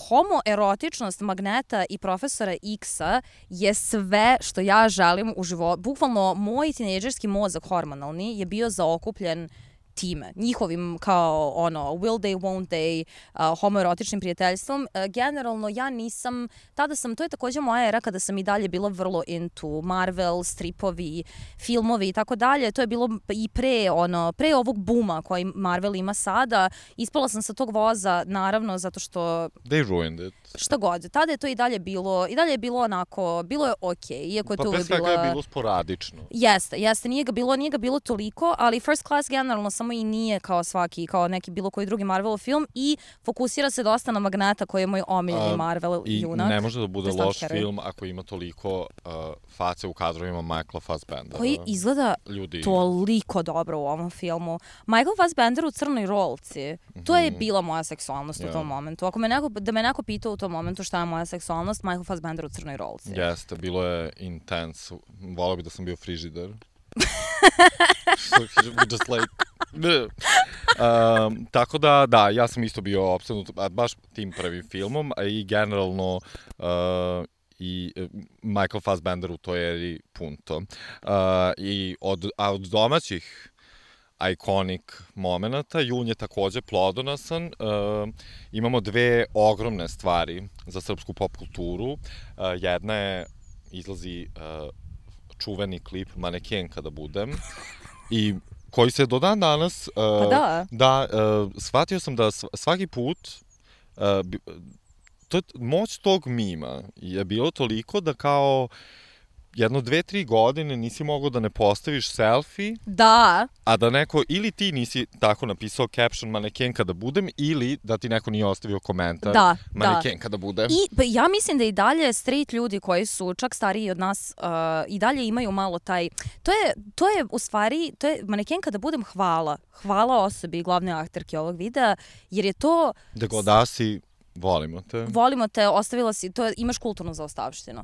Homoerotičnost Magneta i Profesora X-a je sve što ja želim u životu. Bukvalno, moj tinejdžerski mozak hormonalni je bio zaokupljen time, njihovim kao will they, won't they, homoerotičnim prijateljstvom. Generalno ja nisam, to je takođe moja era kada sam i dalje bila vrlo into Marvel, stripovi, filmovi i tako dalje. To je bilo i pre ovog buma koji Marvel ima sada. Ispala sam sa tog voza, naravno, zato što they ruined it. Šta god. Tada je to i dalje je bilo onako, bilo je okej, iako je to pre svega je bilo sporadično. Jeste, nije ga bilo toliko, ali First Class generalno samo i nije kao neki bilo koji drugi Marvel film i fokusira se dosta na Magneta koji je moj omiljeni Marvel junak. I ne može da bude loš film ako ima toliko face u kadrovima Michaela Fassbendera. Koji izgleda toliko dobro u ovom filmu. Michael Fassbender u crnoj rolci. To je bila moja seksualnost u tom momentu. Ako da me neko pitao u tom momentu šta je moja seksualnost, Michael Fassbender u crnoj rolci. Jeste, bilo je intense. Volao bi da sam bio frižider. Just like... tako da, ja sam isto bio opsednut baš tim prvim filmom, a i generalno i Michael Fassbender u toj eri punto. I od domaćih iconic momenata, jun je takođe plodonosan. Imamo 2 ogromne stvari za srpsku pop kulturu. Jedna je, izlazi čuveni klip Manekenka da budem i koji se do dan danas shvatio sam da svaki put moć tog mima je bilo toliko da kao 1-2-3 godine nisi mogao da ne postaviš selfie, a da neko, ili ti nisi tako napisao caption Manekenka da budem, ili da ti neko nije ostavio komentar Manekenka da budem. I ja mislim da i dalje straight ljudi koji su čak stariji od nas i dalje imaju malo taj, to je u stvari, Manekenka da budem hvala osobi glavne akterke ovog videa, jer je to... Da god da si... Volimo te, ostavila si, imaš kulturnu zaostavštinu.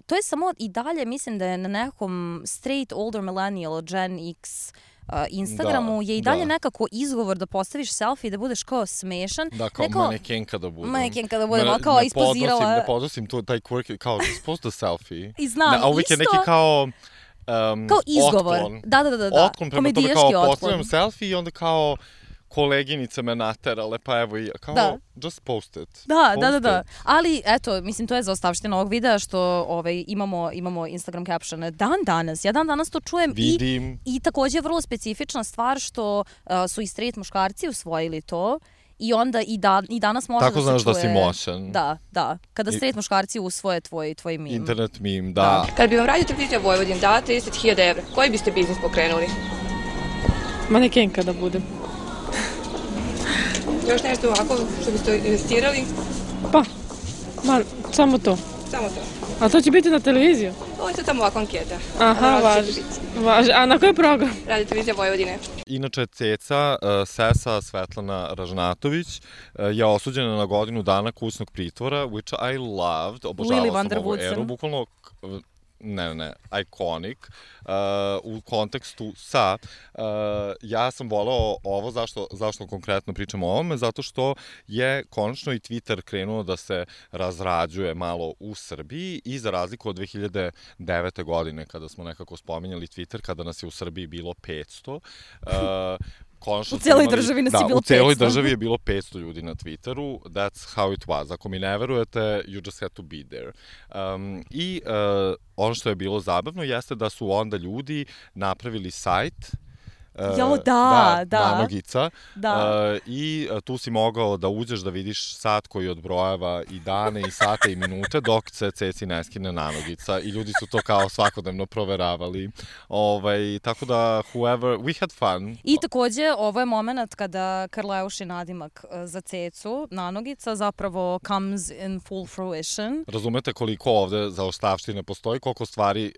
To je samo i dalje, mislim da je na nekom straight older millennial, Gen X Instagramu je i dalje nekako izgovor da postaviš selfie, da budeš kao smešan. Da, kao Manekenka da budem. Manekenka da budem, kao ispozirala. Ne podnosim taj quirky, kao post da selfie. I znam, isto. A uvijek je neki kao izgovor. Otklon. Da. Komedijaški otklon. Kao postavljam selfie i onda kao koleginice me naterale, pa evo i kao, just post it. Da. Ali, eto, mislim, to je zaostavština ovog videa što imamo Instagram captione ja dan danas to čujem. Vidim. I takođe je vrlo specifična stvar što su i straight muškarci usvojili to. I onda i danas može tako da se čuje... Tako znaš da si moćan. Da. Kada straight muškarci usvoje tvoj meme. Internet meme, da. Kad bi vam Radio Televizija Vojvodin dala 30.000 evra, koji biste biznis pokrenuli? Manekenka da budem. Još nešto ovako što biste investirali? Samo to. Samo to. A to će biti na televiziju? Ovo je to tamo ovako anketa. Aha, važi. A na koji program? Radio Televizija Vojvodine. Inače, ceca, sesa Svetlana Ražnatović je osuđena na godinu dana kućnog pritvora, which I loved. Obožavala sam ovu eru. Bukvalno... Ne, iconic, u kontekstu sa, ja sam voleo ovo, zašto konkretno pričam o ovome, zato što je konačno i Twitter krenuo da se razrađuje malo u Srbiji i za razliku od 2009. godine kada smo nekako spominjali Twitter, kada nas je u Srbiji bilo 500, u cijeloj državi nas je bilo 500. U cijeloj državi je bilo 500 ljudi na Twitteru. That's how it was. Ako mi ne verujete, you just had to be there. I ono što je bilo zabavno jeste da su onda ljudi napravili sajt nanogica. I tu si mogao da uđeš da vidiš sat koji odbrojava i dane i sate i minute dok se Ceci ne skine nanogica i ljudi su to kao svakodnevno proveravali. Tako da we had fun. I takođe ovo je moment kada Karleuši nadimak za Cecu, nanogica, zapravo comes in full fruition. Razumete koliko ovde zaostavštine postoji, koliko stvari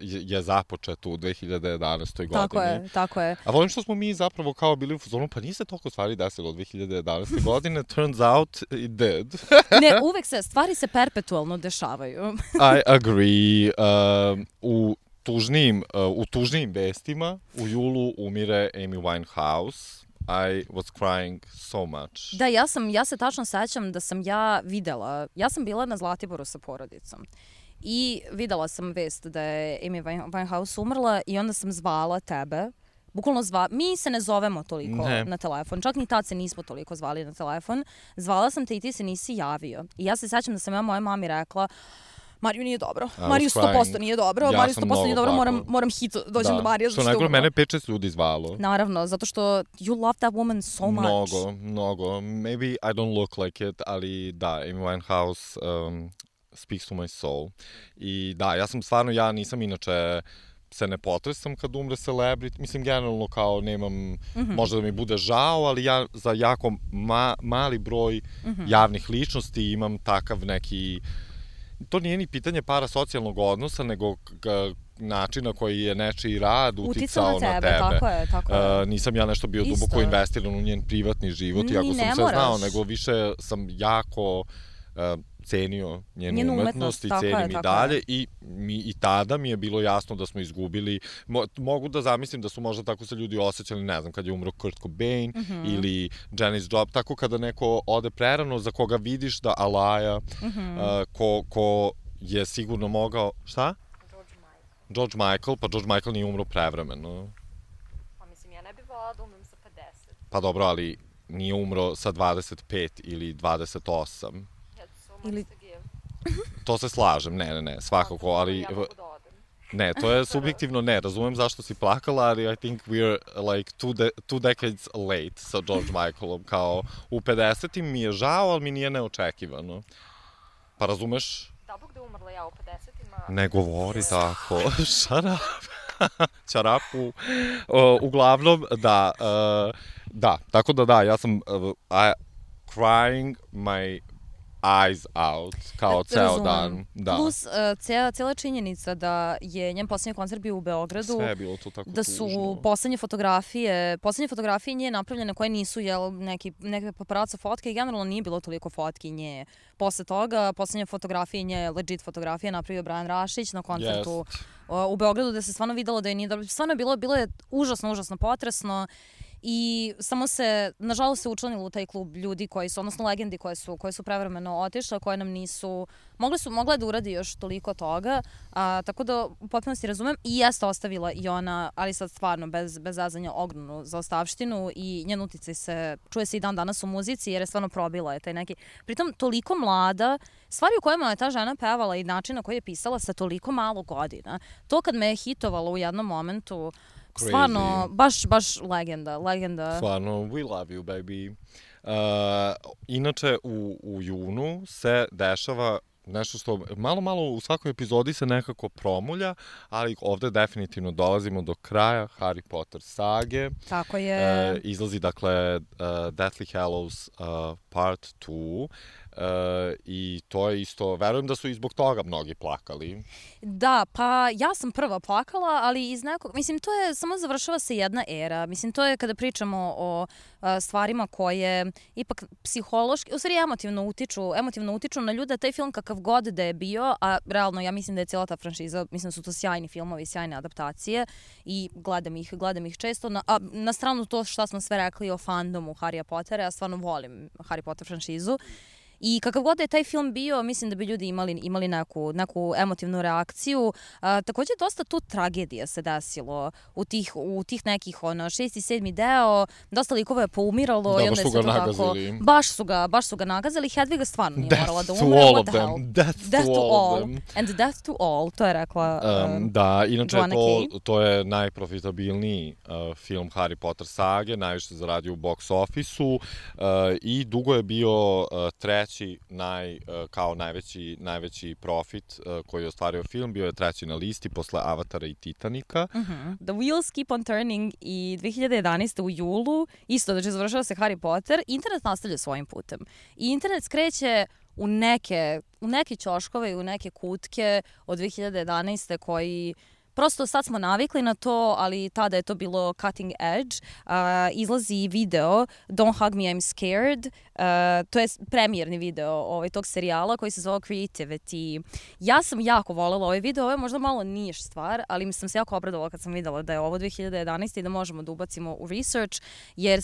je započeto u 2011. godini. Tako je. A volim što smo mi zapravo kao bili u fazonu, pa nije se toliko stvari desilo od 2011. godine, turns out it did. Ne, uvek stvari se perpetualno dešavaju. I agree. U tužnijim vestima u julu umire Amy Winehouse. I was crying so much. Da, ja se tačno sećam da sam videla, ja sam bila na Zlatiboru sa porodicom i videla sam vest da je Amy Winehouse umrla i onda sam zvala tebe. Bukvalno mi se ne zovemo toliko na telefon, čak ni tad se nismo toliko zvali na telefon. Zvala sam te i ti se nisi javio. I ja se sećam da sam ja mojoj mami rekla, Mariju nije dobro. Mariju 100% nije dobro. Mariju 100% nije dobro. Moram hit dođem do Marije. Što najgore, mene 5-6 ljudi zvalo. Naravno, zato što you love that woman so much. Mnogo. Maybe I don't look like it, ali da, Amy Winehouse speaks to my soul. I da, ja nisam inače se ne potresam kad umre celebrity. Mislim, generalno kao nemam, možda da mi bude žao, ali ja za jako mali broj javnih ličnosti imam takav neki... To nije ni pitanje parasocijalnog odnosa, nego način na koji je nečiji rad uticao na tebe. Tako je. Nisam ja nešto bio duboko investiran u njen privatni život, iako sam sve znao, nego više sam jako cenio njenu umetnost i cenim i dalje i tada mi je bilo jasno da smo izgubili. Mogu da zamislim da su možda tako se ljudi osjećali, ne znam, kad je umro Kurt Cobain ili Janis Joplin, tako kada neko ode prerano za koga vidiš da alaja, ko je sigurno mogao... Šta? George Michael, pa George Michael nije umro prevremeno. Pa mislim, ja ne bih volala da umrem sa 50. Pa dobro, ali nije umro sa 25 ili 28. Ili... To se slažem, ne, svakako, ali... Ne, to je subjektivno, ne, razumem zašto si plakala, ali I think we're like two decades late sa George Michaelom, kao u 50-im mi je žao, ali mi nije neočekivano. Pa razumeš? Da, Bog da umrla ja u 50-ima... Ne govori tako, čarapu. Uglavnom, da, tako da, ja sam crying my eyes out, kao ceo dan. Da. Plus, cijela činjenica da je njen poslednji koncert bio u Beogradu, sve je bilo to tako da su poslednje fotografije nje napravljene koje nisu neke paparazzo fotke i generalno nije bilo toliko fotki nje. Posle toga, poslednje fotografije nje, legit fotografije, napravio Brian Rašić na koncertu u Beogradu, gde se stvarno videlo da je nije dobro. Stvarno bilo je užasno potresno. I samo se, nažalost, se učlanilo u taj klub ljudi koji su, odnosno legendi koje su prevremeno otišle, koje nam nisu, mogle da uradi još toliko toga, tako da u potpunosti razumem i jeste ostavila i ona, ali sad stvarno bez zazanja ogromnu zaostavštinu i njen uticaj čuje se i dan danas u muzici jer je stvarno probila je taj neki, pritom toliko mlada, stvari u kojima je ta žena pevala i način na koji je pisala sa toliko malo godina. To kad me je hitovalo u jednom momentu, stvarno, baš legenda. Stvarno, we love you, baby. Inače, u junu se dešava nešto što malo u svakoj epizodi se nekako promulja, ali ovde definitivno dolazimo do kraja Harry Potter sage. Tako je. Izlazi, dakle, Deathly Hallows Part 2. I to je isto, verujem da su i zbog toga mnogi plakali. Da, pa ja sam prva plakala, ali iz nekog, mislim, to je, samo završava se jedna era, mislim, to je kada pričamo o stvarima koje ipak psihološki, u stvari emotivno utiču na ljude, taj film kakav god da je bio, a realno ja mislim da je cijela ta franšiza, mislim da su to sjajni filmovi, sjajne adaptacije i gledam ih često, a na stranu to šta smo sve rekli o fandomu Harrya Pottera, ja stvarno volim Harry Potter franšizu. I kakav god je taj film bio, mislim da bi ljudi imali neku emotivnu reakciju. Takođe, dosta tu tragedija se desilo u tih nekih 6. i 7. deo. Dosta likova je poumiralo. Da, baš su ga nagazili. Baš su ga nagazili. Hedviga stvarno nije morala da umre. Death to all of them. And death to all, to je rekla da, inače Joanna Kay. To je najprofitabilniji film Harry Potter sage, najviše zaradio u box office-u i dugo je bio treći kao najveći profit koji je ostvario film, bio je treći na listi posle Avatara i Titanika. The Wheels Keep on Turning i 2011. u julu, isto da će završava se Harry Potter, internet nastavlja svojim putem. I internet skreće u neke ćoškove i u neke kutke od 2011. koji prosto sad smo navikli na to, ali tada je to bilo cutting edge. Izlazi video Don't Hug Me, I'm Scared. To je premijerni video tog serijala koji se zove Creativity. Ja sam jako voljela ovaj video. Ovo je možda malo niš stvar, ali sam se jako obradovala kad sam videla da je ovo 2011. i da možemo da ubacimo u research, jer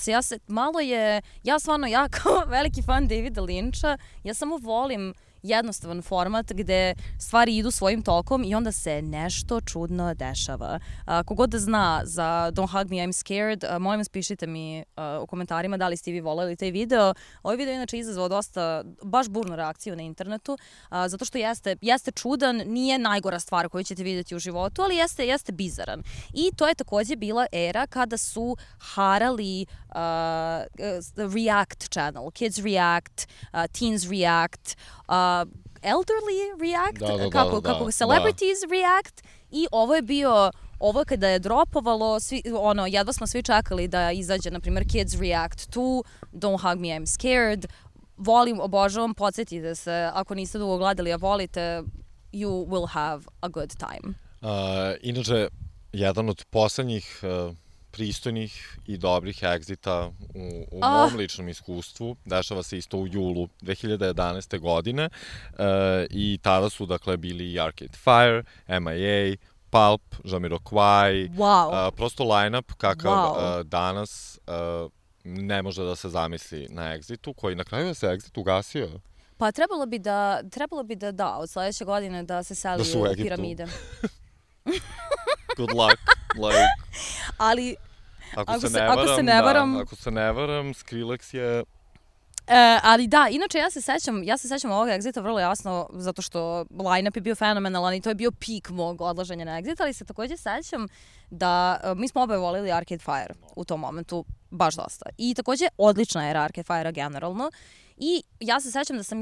ja stvarno kao veliki fan Davida Lyncha, ja samo volim jednostavan format gde stvari idu svojim tokom i onda se nešto čudno dešava. Kogod da zna za Don't Hug Me, I'm Scared, molim vas pišite mi u komentarima da li ste vi voleli taj video. Ovaj video je inače izazvao baš burnu reakciju na internetu, zato što jeste čudan, nije najgora stvar koju ćete vidjeti u životu, ali jeste bizaran. I to je takođe bila era kada su harali React channel, Kids React, Teens React, Elderly React, kako Celebrities React, i ovo kada je dropovalo, jedva smo svi čekali da izađe, na primjer, Kids React to Don't Hug Me, I'm Scared. Obožavam, podsjetite se, ako niste dugo gledali, a volite, you will have a good time. Inače, jedan od poslednjih pristojnih i dobrih egzita u mom ličnom iskustvu dešava se isto u julu 2011. godine i tada su bili Arcade Fire, MIA, Pulp, Jamiroquai, prosto line-up kakav danas ne može da se zamisli na Exitu, koji na kraju se Exit ugasio. Pa trebalo bi da od sledeće godine da se seli u piramide. Good luck. Ali ako se ne varam, Skrillex je... Ali da, inače ja se sećam ovog Exita vrlo jasno, zato što line-up je bio fenomenalan i to je bio pik mog odlaženja na Exit, ali se takođe sećam da mi smo oboje volili Arcade Fire u tom momentu baš dosta. I takođe odlična era Arcade Fire-a generalno. I ja se sećam da sam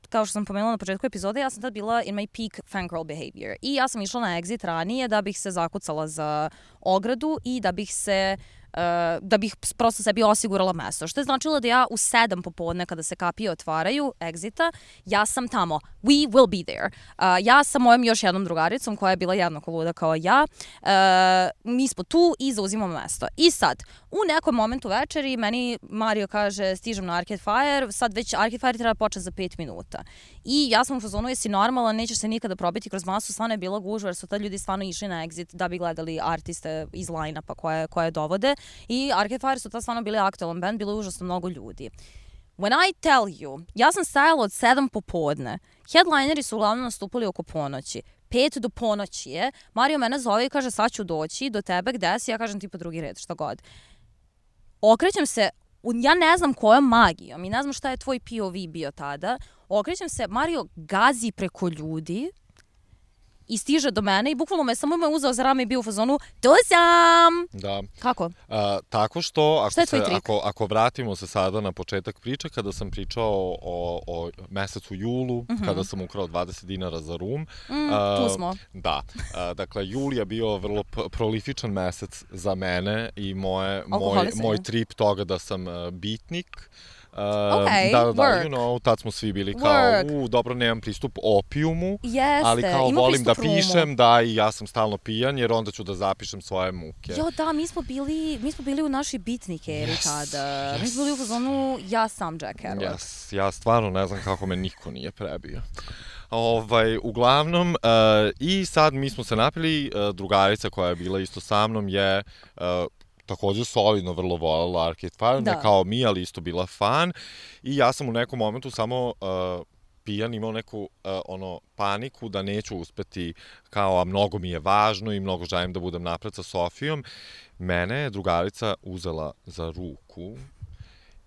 kao što sam pomenula na početku epizode, ja sam tad bila in my peak fangirl behavior. I ja sam išla na Exit ranije da bih se zakucala za ogradu i da bih prosto sebi osigurala mesto. Što je značilo da ja u 7 popodne kada se kapije otvaraju Exita, ja sam tamo. We will be there. Ja sa mojom još jednom drugaricom koja je bila jednako luda kao ja. Mi smo tu i zauzimamo mesto. I sad, u nekom momentu večeri meni Mario kaže stižem na Arcade Fire, sad već Arcade Fire treba početi za 5 minuta. I ja sam u fazonu, jesi normalan, nećeš se nikada probiti kroz masu, stvarno je bila gužva jer su tad ljudi stvarno išli na Exit da bi gledali artiste iz line-upa koje dovode. I Arcade Fire su tad stvarno bili aktualan band, bilo je užasno mnogo ljudi. When I tell you, ja sam stajala od 7 popodne, headlineri su uglavnom nastupali oko ponoći. 5 do ponoći je, Mario mene zove i kaže sad ću doći do tebe, gde si? Ja kažem tipa drugi red, šta god. Okrećem se, ja ne znam kojom magijom i ne znam šta je tvoj POV bio tada, okrećem se, Mario gazi preko ljudi i stiže do mene i bukvalno me samo uzeo za rame i bio u fazonu tu sam! Da. Kako? Tako što, ako vratimo se sada na početak priče, kada sam pričao o mesecu julu, kada sam ukrao 20 dinara za rum. Tu smo. Da. Dakle, jul je bio vrlo prolifičan mesec za mene i moj trip toga da sam bitnik. Tad smo svi bili kao, dobro, nemam pristup opijumu, ali kao volim da pišem, da, i ja sam stalno pijan, jer onda ću da zapišem svoje muke. Jo, da, mi smo bili u našoj bitnik eri tada. Mi smo bili u fazonu, ja sam Jack Kerouac. Ja stvarno ne znam kako me niko nije prebio. Uglavnom, i sad mi smo se napili, drugarica koja je bila isto sa mnom je takođe solidno vrlo voljela Arcade Fire, ne kao mi, ali isto bila fan. I ja sam u nekom momentu samo pijan imao neku paniku da neću uspeti, kao, a mnogo mi je važno i mnogo želim da budem napred sa Sofijom. Mene je drugarica uzela za ruku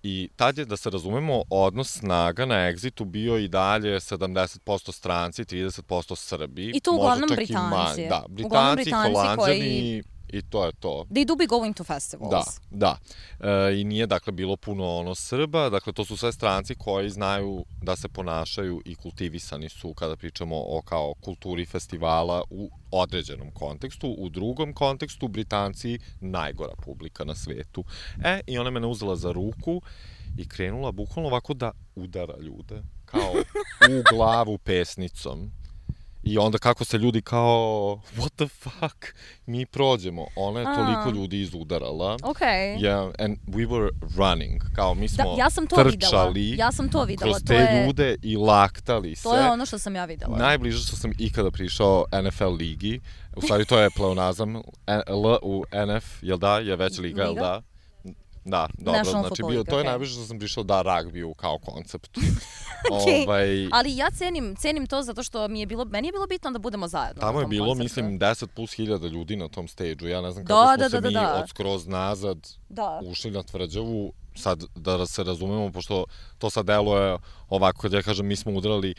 i tad je, da se razumemo, odnos snaga na Exitu bio i dalje 70% stranci, 30% Srbi. I to uglavnom Britanci. Da, Britanci, Holanđani i to je to. They do be going to festivals. Da. I nije, dakle, bilo puno Srba, dakle, to su sve stranci koji znaju da se ponašaju i kultivisani su kada pričamo o kao kulturi festivala u određenom kontekstu. U drugom kontekstu, Britanci najgora publika na svetu. I ona mene uzela za ruku i krenula bukvalno ovako da udara ljude, kao u glavu pesnicom. I onda kako se ljudi kao, what the fuck, mi prođemo. Ona je toliko ljudi izudarala. Yeah, and we were running. Kao mi smo trčali kroz te ljude i laktali se. To je ono što sam ja videla. Najbliže što sam ikada prišao NFL ligi. U stvari to je pleonazam. L u NF, jel da, je već liga, jel da? Da, dobro, znači to je najviše što sam prišao da ragbiju kao koncept. Ali ja cenim to zato što meni je bilo bitno da budemo zajedno. Tamo je bilo, mislim, 10+ ljudi na tom stage-u. Ja ne znam kako smo se mi od skroz nazad ušli na tvrđavu. Sad, da se razumemo, pošto to sad deluje ovako, kad ja kažem mi smo udarali,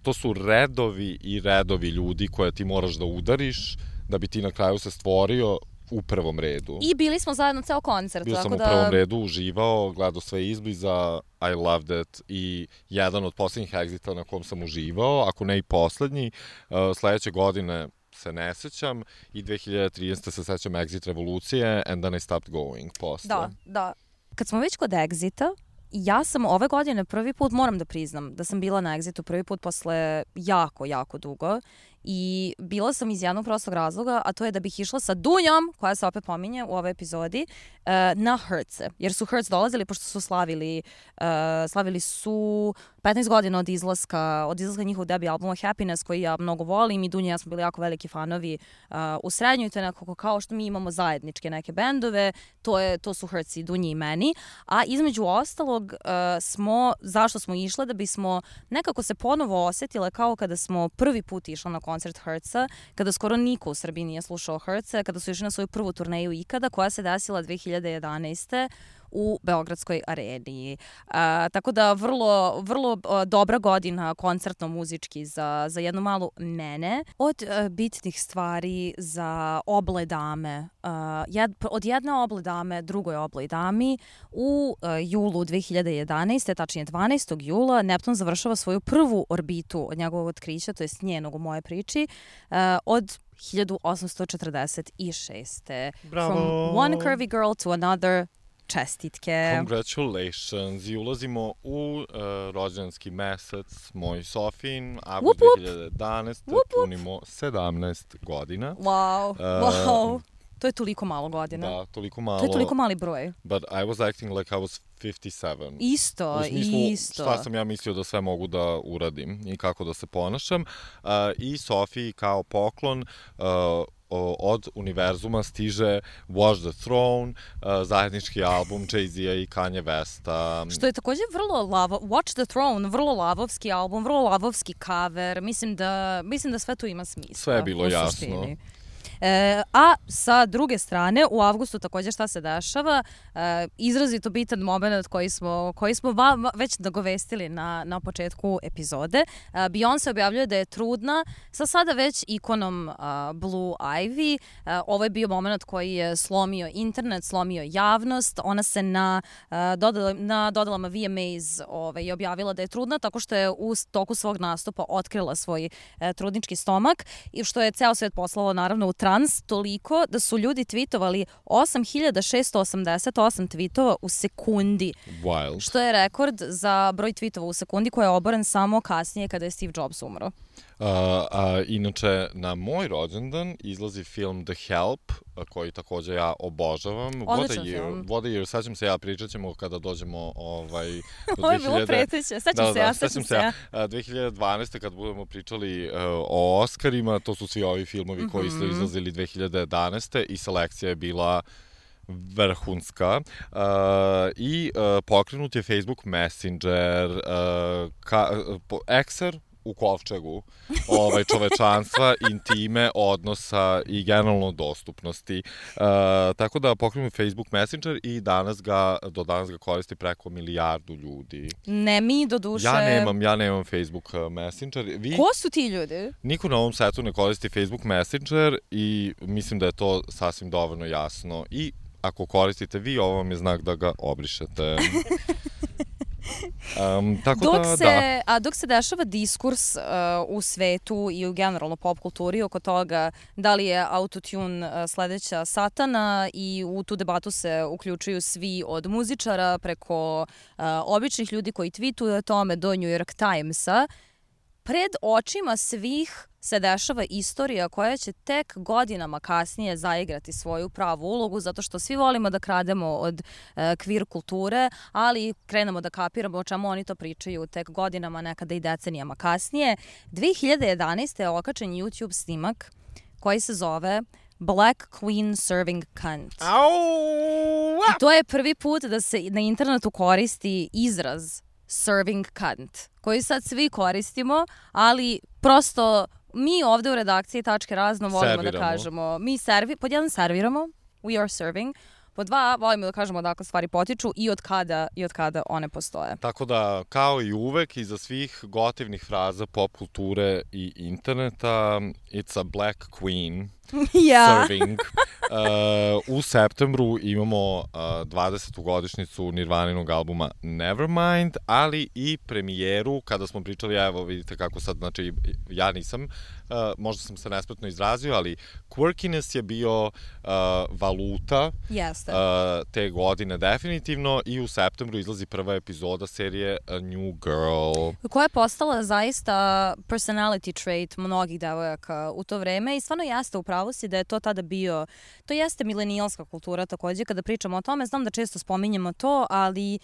to su redovi i redovi ljudi koje ti moraš da udariš da bi ti na kraju se stvorio u prvom redu. I bili smo zajedno ceo koncert. Bio sam u prvom redu, uživao, gledao sve izbliza, I loved it, i jedan od poslednjih Exita na kom sam uživao, ako ne i poslednji, sledeće godine se ne sećam i 2013. se sećam Exit revolucije and then I stopped going posle. Da. Kad smo već kod Exita, ja sam ove godine prvi put, moram da priznam, da sam bila na Exitu prvi put posle jako dugo i bila sam iz jednog prostog razloga, a to je da bih išla sa Dunjom, koja se opet pominje u ovoj epizodi, na Hertze. Jer su Hertz dolazili, pošto su slavili su 15 godina od izlaska njihovog debi albuma Happiness, koji ja mnogo volim, i Dunja i ja smo bili jako veliki fanovi u srednjoj, to je nekako kao što mi imamo zajedničke neke bendove, to su Hertz i Dunji i meni, a između ostalog zašto smo išle, da bismo nekako se ponovo osetile kao kada smo prvi put išli na koncert Hertza, kada skoro niko u Srbiji nije slušao Hertza, kada su išli na svoju prvu turneju ikada, koja se desila 2011. u Beogradskoj areni. Tako da vrlo dobra godina koncertno muzički za jednu malu mene. Od bitnih stvari za oble dame, od jedne oble dame drugoj obloj dami, u julu 2011. tačnije 12. jula, Neptun završava svoju prvu orbitu od njegovog otkrića, to je njenog u moje priči, od 1846. Bravo! From one curvy girl to another. Čestitke. Congratulations. I ulazimo u rođendanski mesec, moj Sofin, avgust 2011. Punimo 17 godina. Wow. To je toliko malo godina. Da, toliko malo. To je toliko mali broj. But I was acting like I was 57. Isto. Šta sam ja mislio da sve mogu da uradim i kako da se ponašam. I Sofiji kao poklon od univerzuma stiže Watch the Throne, zajednički album Jay-Z-a i Kanye Westa. Što je takođe Watch the Throne, vrlo lavovski album, vrlo lavovski cover. Mislim da sve tu ima smisla. Sve je bilo jasno. A sa druge strane, u avgustu također šta se dešava, izrazito bitan moment koji smo vam već nagovestili na početku epizode. Beyoncé objavljuje da je trudna sa sada već ikonom Blue Ivy. Ovo je bio moment koji je slomio internet, slomio javnost. Ona se na dodalama VMAs je objavila da je trudna tako što je u toku svog nastupa otkrila svoj trudnički stomak, i što je ceo svet poslalo naravno u trans, toliko da su ljudi tweetovali 8688 tweetova u sekundi. Wild. Što je rekord za broj tweetova u sekundi koji je oboren samo kasnije kada je Steve Jobs umro. Inače, na moj rođendan izlazi film The Help, koji takođe ja obožavam. Odličan film. What a year, sećam se, pričat ćemo kada dođemo do 2000... Ovo je bilo preteće, sećam se ja. 2012. kad budemo pričali o Oscarima, to su svi ovi filmovi koji su izlazili 2011. i selekcija je bila vrhunska i pokrenut je Facebook Messenger, Ekser u kovčegu čovečanstva, intime, odnosa i generalno dostupnosti. Tako da pokrenut Facebook Messenger i do danas ga koristi preko 1 milijardu ljudi. Ne mi, do duše. Ja nemam Facebook Messenger. Ko su ti ljudi? Niko na ovom setu ne koristi Facebook Messenger i mislim da je to sasvim dovoljno jasno. I ako koristite vi, ovo vam je znak da ga obrišete. Dok se dešava diskurs u svetu i u generalno pop kulturi oko toga da li je autotune sledeća satana i u tu debatu se uključuju svi od muzičara preko običnih ljudi koji tweetuju o tome do New York Timesa, pred očima svih se dešava istorija koja će tek godinama kasnije zaigrati svoju pravu ulogu, zato što svi volimo da krademo od queer kulture, ali krenemo da kapiramo o čemu oni to pričaju tek godinama, nekada i decenijama kasnije. 2011. je okačen YouTube snimak koji se zove Black Queen Serving Cunt. I to je prvi put da se na internetu koristi izraz serving cunt, koji sad svi koristimo, ali prosto mi ovde u redakciji Tačke razno volimo da kažemo, pod jedan serviramo, we are serving, pod dva volimo da kažemo odakle stvari potiču i od kada one postoje. Tako da, kao i uvek, iza svih gotivnih fraza pop kulture i interneta, it's a black queen serving. U septembru imamo 20. godišnjicu Nirvaninog albuma Nevermind, ali i premijeru, kada smo pričali, evo vidite kako sad, znači ja nisam, možda sam se nespretno izrazio, ali quirkiness je bio valuta te godine definitivno i u septembru izlazi prva epizoda serije A New Girl. Koja je postala zaista personality trait mnogih devojaka u to vreme i stvarno jeste upravo si da je to tada bio, to jeste milenijalska kultura takođe, kada pričamo o tome, znam da često spominjemo to, ali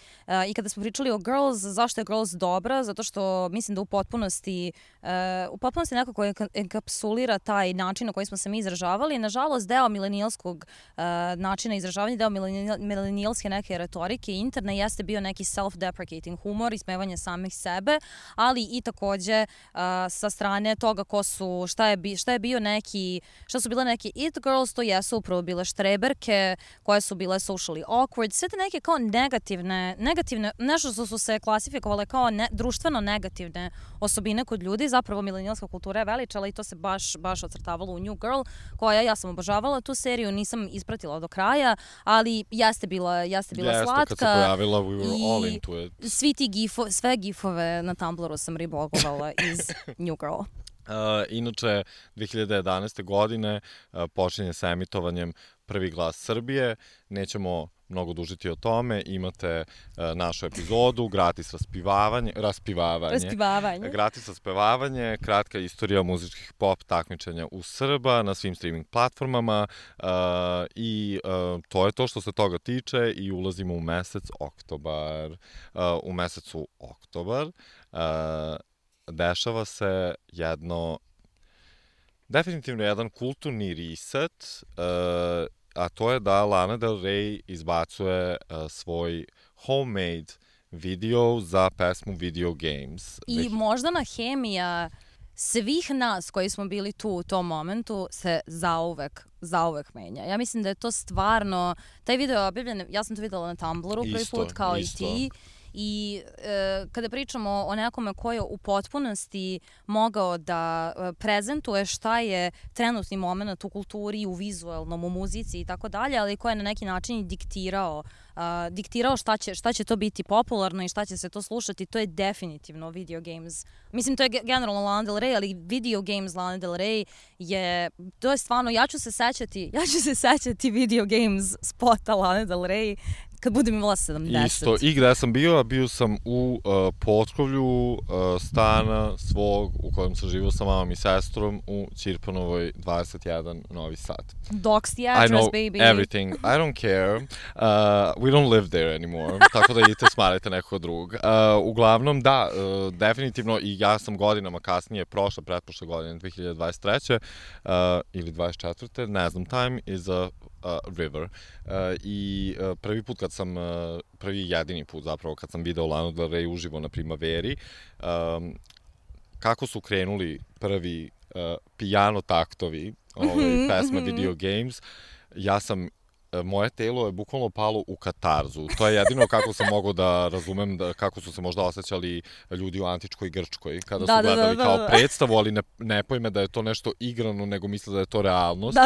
i kada smo pričali o Girls, zašto je Girls dobra, zato što mislim da u potpunosti nekako enkapsulira taj način na koji smo se mi izražavali. Nažalost, deo milenijalskog načina izražavanja, deo milenijalske neke retorike interne jeste bio neki self-deprecating humor, ismevanje samih sebe, ali i takođe sa strane toga šta su bile neke it girls, to jesu upravo bile štreberke, koje su bile socially awkward, sve te neke kao negativne, nešto što su se klasifikovale kao društveno negativne osobine kod ljudi, zapravo milenijalska kultura je veličala i to se baš ocrtavalo u New Girl, koja ja sam obožavala tu seriju, nisam ispratila do kraja, ali jeste bila slatka. Kad se pojavila, we were all into it. Sve gifove na Tumblru sam ribogovala iz New Girl. Inače, 2011. godine počinje sa emitovanjem Prvi glas Srbije. Nećemo mnogo dužiti o tome. Imate našu epizodu, gratis raspivavanje, kratka istorija muzičkih pop takmičenja u Srba na svim streaming platformama i to je to što se toga tiče i ulazimo u mesec oktobar. U mesecu oktobar dešava se definitivno jedan kulturni reset, a to je da Lana Del Rey izbacuje svoj homemade video za pesmu Video Games. I moždana hemija svih nas koji smo bili tu u tom momentu se zauvek menja. Ja mislim da je to stvarno, taj video je objavljen, ja sam to videla na Tumblru prvi put kao i ti. I kada pričamo o nekome ko je u potpunosti mogao da prezentuje šta je trenutni moment u kulturi, u vizualnom, u muzici i tako dalje, ali ko je na neki način diktirao šta će to biti popularno i šta će se to slušati, to je definitivno Video Games. Mislim, to je generalno Lana Del Rey, ali Video Games Lana Del Rey to je stvarno, ja ću se sećati Video Games spota Lana Del Rey kad budem imala 70. Isto, i gde sam bio sam u potkrovlju stana svog u kojem sam živio sa mamom i sestrom u Ćirpanovoj 21 Novi Sad. Dox the address, baby. I know everything. I don't care. We don't live there anymore. Tako da idite smarajte nekog drugog. Uglavnom, da, definitivno i ja sam godinama kasnije, pretprošle godine, 2023. Ili 24. Ne znam, time is a River. I prvi jedini put zapravo kad sam video Lanu Del Rey uživo na Primaveri, kako su krenuli prvi piano taktovi pesme Video Games, moje telo je bukvalno palo u katarzu. To je jedino kako sam mogao da razumem kako su se možda osjećali ljudi u antičkoj Grčkoj kada su gledali kao predstavu, ali ne pojme da je to nešto igrano, nego misle da je to realnost.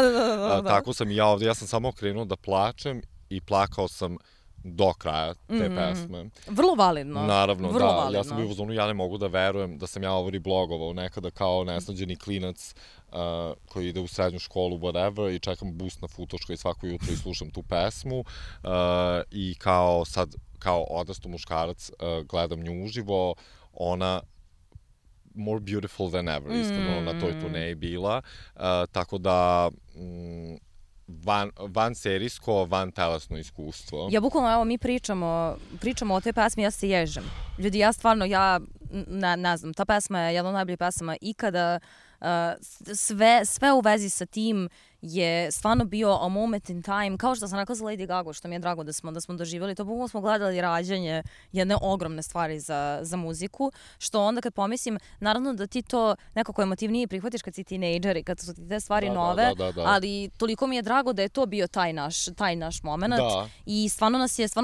Tako sam i ja ovde. Ja sam samo krenuo da plačem i plakao sam do kraja te pesme. Vrlo validno. Naravno, da. Ja sam bio u zonu, ja ne mogu da verujem da sam ja ovo reblogovao nekada kao nesnađeni klinac koji ide u srednju školu, whatever, i čekam bus na Futoškoj svako jutro i slušam tu pesmu i kao odrasto muškarac gledam nju uživo, ona more beautiful than ever, iskreno, na toj turneji bila, tako da van serijsko, van telesno iskustvo. Ja bukvalno, evo, mi pričamo o toj pesmi, ja se ježem. Ljudi, ja stvarno, ne znam, ta pesma je jedna od najboljih pesama ikada. Sve u vezi sa tim je stvarno bio a moment in time, kao što sam rekla za Lady Gaga, što mi je drago da smo doživjeli. To bukvalno smo gledali rađanje jedne ogromne stvari za muziku, što onda kad pomislim, naravno da ti to nekako emotivnije prihvatiš kad si tinejdžer i kad su ti te stvari nove, ali toliko mi je drago da je to bio taj naš moment i stvarno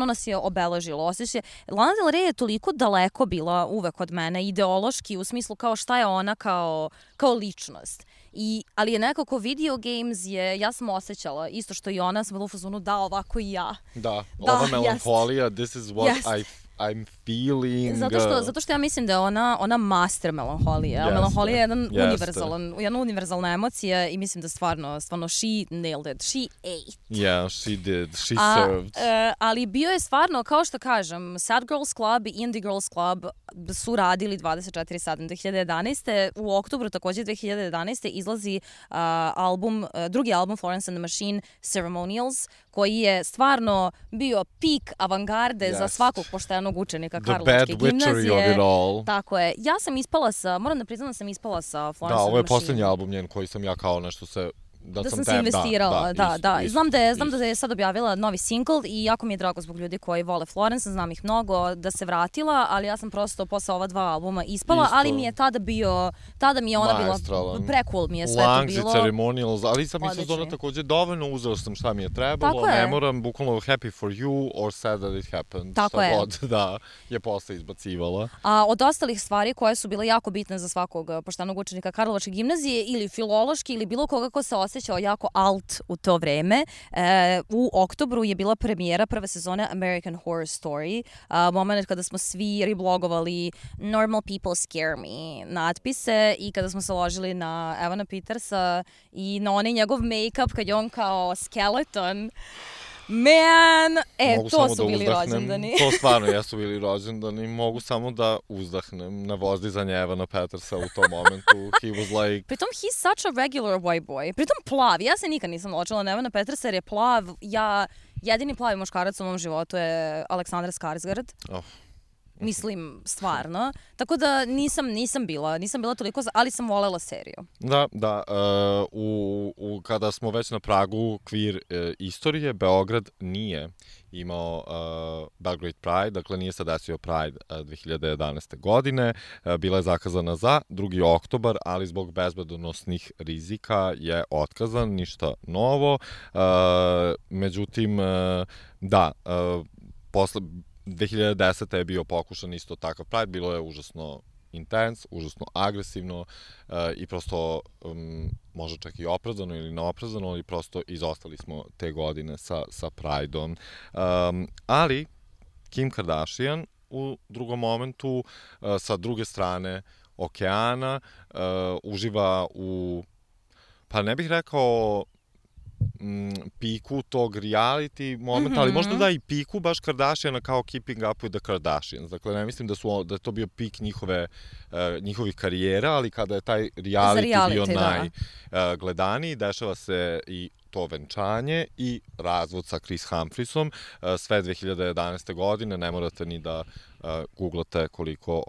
nas je obeležilo. Osjećaj, Lana Del Rey je toliko daleko bila uvek od mene, ideološki, u smislu kao šta je ona kao ličnost. Ali je nekako Video Games ja sam osjećala, isto što i ona, sam bila u fazonu, da, ovako i ja. Da, ova melanholija, this is what I'm feeling. Zato što ja mislim da je ona master melanholije. Melanholija je jedna univerzalna emocija i mislim da stvarno she nailed it. She ate. Yeah, she did. She served. Ali bio je stvarno, kao što kažem, Sad Girls Club i Indie Girls Club su radili 24/7. 2011. U oktobru takođe 2011. izlazi drugi album Florence and the Machine, Ceremonials, koji je stvarno bio pik avangarde za svakog poštenog učenika Karlovačke gimnazije. Tako je. Ja sam moram da priznam da sam ispala sa Florence and the Machine. Da, ovo je poslednji album njen koji sam ja kao nešto da sam se investirala, da. Znam da je sad objavila novi single i jako mi je drago zbog ljudi koji vole Florence, znam ih mnogo, da se vratila, ali ja sam prosto posle ova 2 albuma ispala, ali mi je tada mi je ona bila, precool mi je sve to bilo. Langs i Ceremonials, ali sam mislila da ona takođe dovoljno, uzela sam šta mi je trebalo, ne moram, bukvalno happy for you or sad that it happened, šta god da je posle izbacivala. A od ostalih stvari koje su bile jako bitne za svakog poštenog učenika Karlovačke gimnazije ili filološki ili bilo koga ko se osjećao jako alt u to vreme. U oktobru je bila premijera prve sezone American Horror Story. Moment kada smo svi reblogovali Normal People Scare Me natpise i kada smo se ložili na Evana Petersa i na onaj njegov make-up kad je on kao skeleton. To su bili rođendani. To stvarno jesu bili rođendani. Mogu samo da uzdahnem na vozdizanje Evana Petersa u tom momentu. He was like... Pritom, he's such a regular white boy. Pritom plav. Ja se nikad nisam ločila na Evana Petersa jer je plav. Jedini plavi muškarac u mom životu je Aleksandar Skarsgård. Mislim, stvarno. Tako da nisam bila toliko, ali sam volela seriju. Da. Kada smo već na pragu queer istorije, Beograd nije imao Belgrade Pride, dakle nije se desio Pride 2011. godine. Bila je zakazana za 2. oktobar, ali zbog bezbednosnih rizika je otkazan, ništa novo. Međutim, posle 2010. je bio pokušan isto takav Pride, bilo je užasno intens, užasno agresivno i prosto možda čak i opravdano ili neopravdano, ali prosto izostali smo te godine sa Prideom. Ali Kim Kardashian u drugom momentu, sa druge strane okeana, uživa u, pa ne bih rekao piku tog reality momenta, ali možda da i piku baš Kardashiana kao Keeping Up with the Kardashians. Dakle, ne mislim da je to bio pik njihovih karijera, ali kada je taj reality bio najgledaniji, dešava se i to venčanje i razvod sa Chris Humphreysom, sve 2011. godine, ne morate ni da googlate koliko,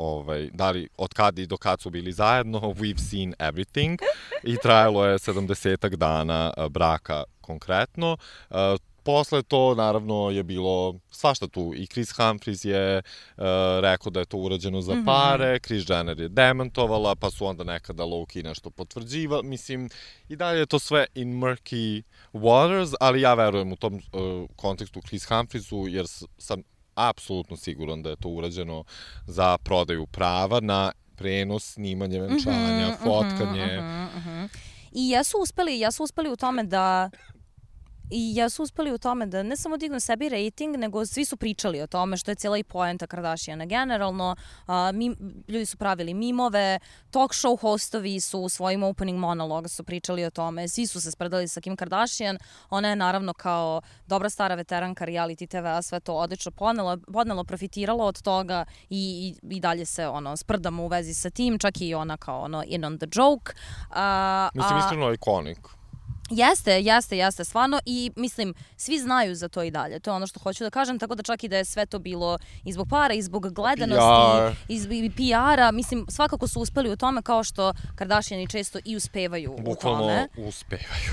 da li, od kad i do kad su bili zajedno, we've seen everything, i trajalo je 70 dana braka konkretno. Posle to, naravno, je bilo svašta tu. I Chris Humphries je rekao da je to urađeno za pare, Kris Jenner je demantovala, pa su onda nekada low-key nešto potvrđivali. Mislim, i dalje je to sve in murky waters, ali ja verujem u tom kontekstu Chris Humphriesu, jer sam apsolutno siguran da je to urađeno za prodaju prava na prenos, snimanje venčanja, fotkanje. I jesu uspeli u tome da... I jesu uspeli u tome da ne samo dignu sebi rating, nego svi su pričali o tome, što je cijela i poenta Kardashiana generalno. Ljudi su pravili mimove, talk show hostovi su u svojim opening monologa su pričali o tome, svi su se spredali sa Kim Kardashian. Ona je naravno kao dobra stara veteranka reality TV-a sve to odlično podnelo, profitirala od toga i dalje se sprdamo u vezi sa tim, čak i ona kao in on the joke. Mislim, iskreno ikonik. Jeste, stvarno, i mislim, svi znaju za to i dalje, to je ono što hoću da kažem, tako da čak i da je sve to bilo i zbog para, i zbog gledanosti, i PR-a, mislim, svakako su uspeli u tome, kao što Kardashiani često i uspevaju u tome. Bukvalno uspevaju.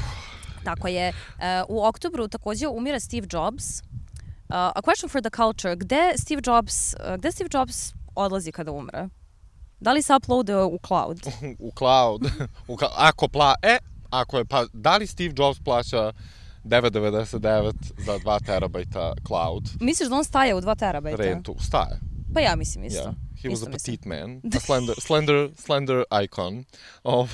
Tako je. U oktobru takođe umire Steve Jobs. A question for the culture, gde Steve Jobs odlazi kada umre? Da li se uploaduje u cloud? U cloud. Ako je, pa da li Steve Jobs plaća 9,99 za 2 terabajta cloud? Misliš da on staje u 2 terabajta? Rentu, staje. Pa ja mislim isto. Yeah. He was a petite man, a slender icon.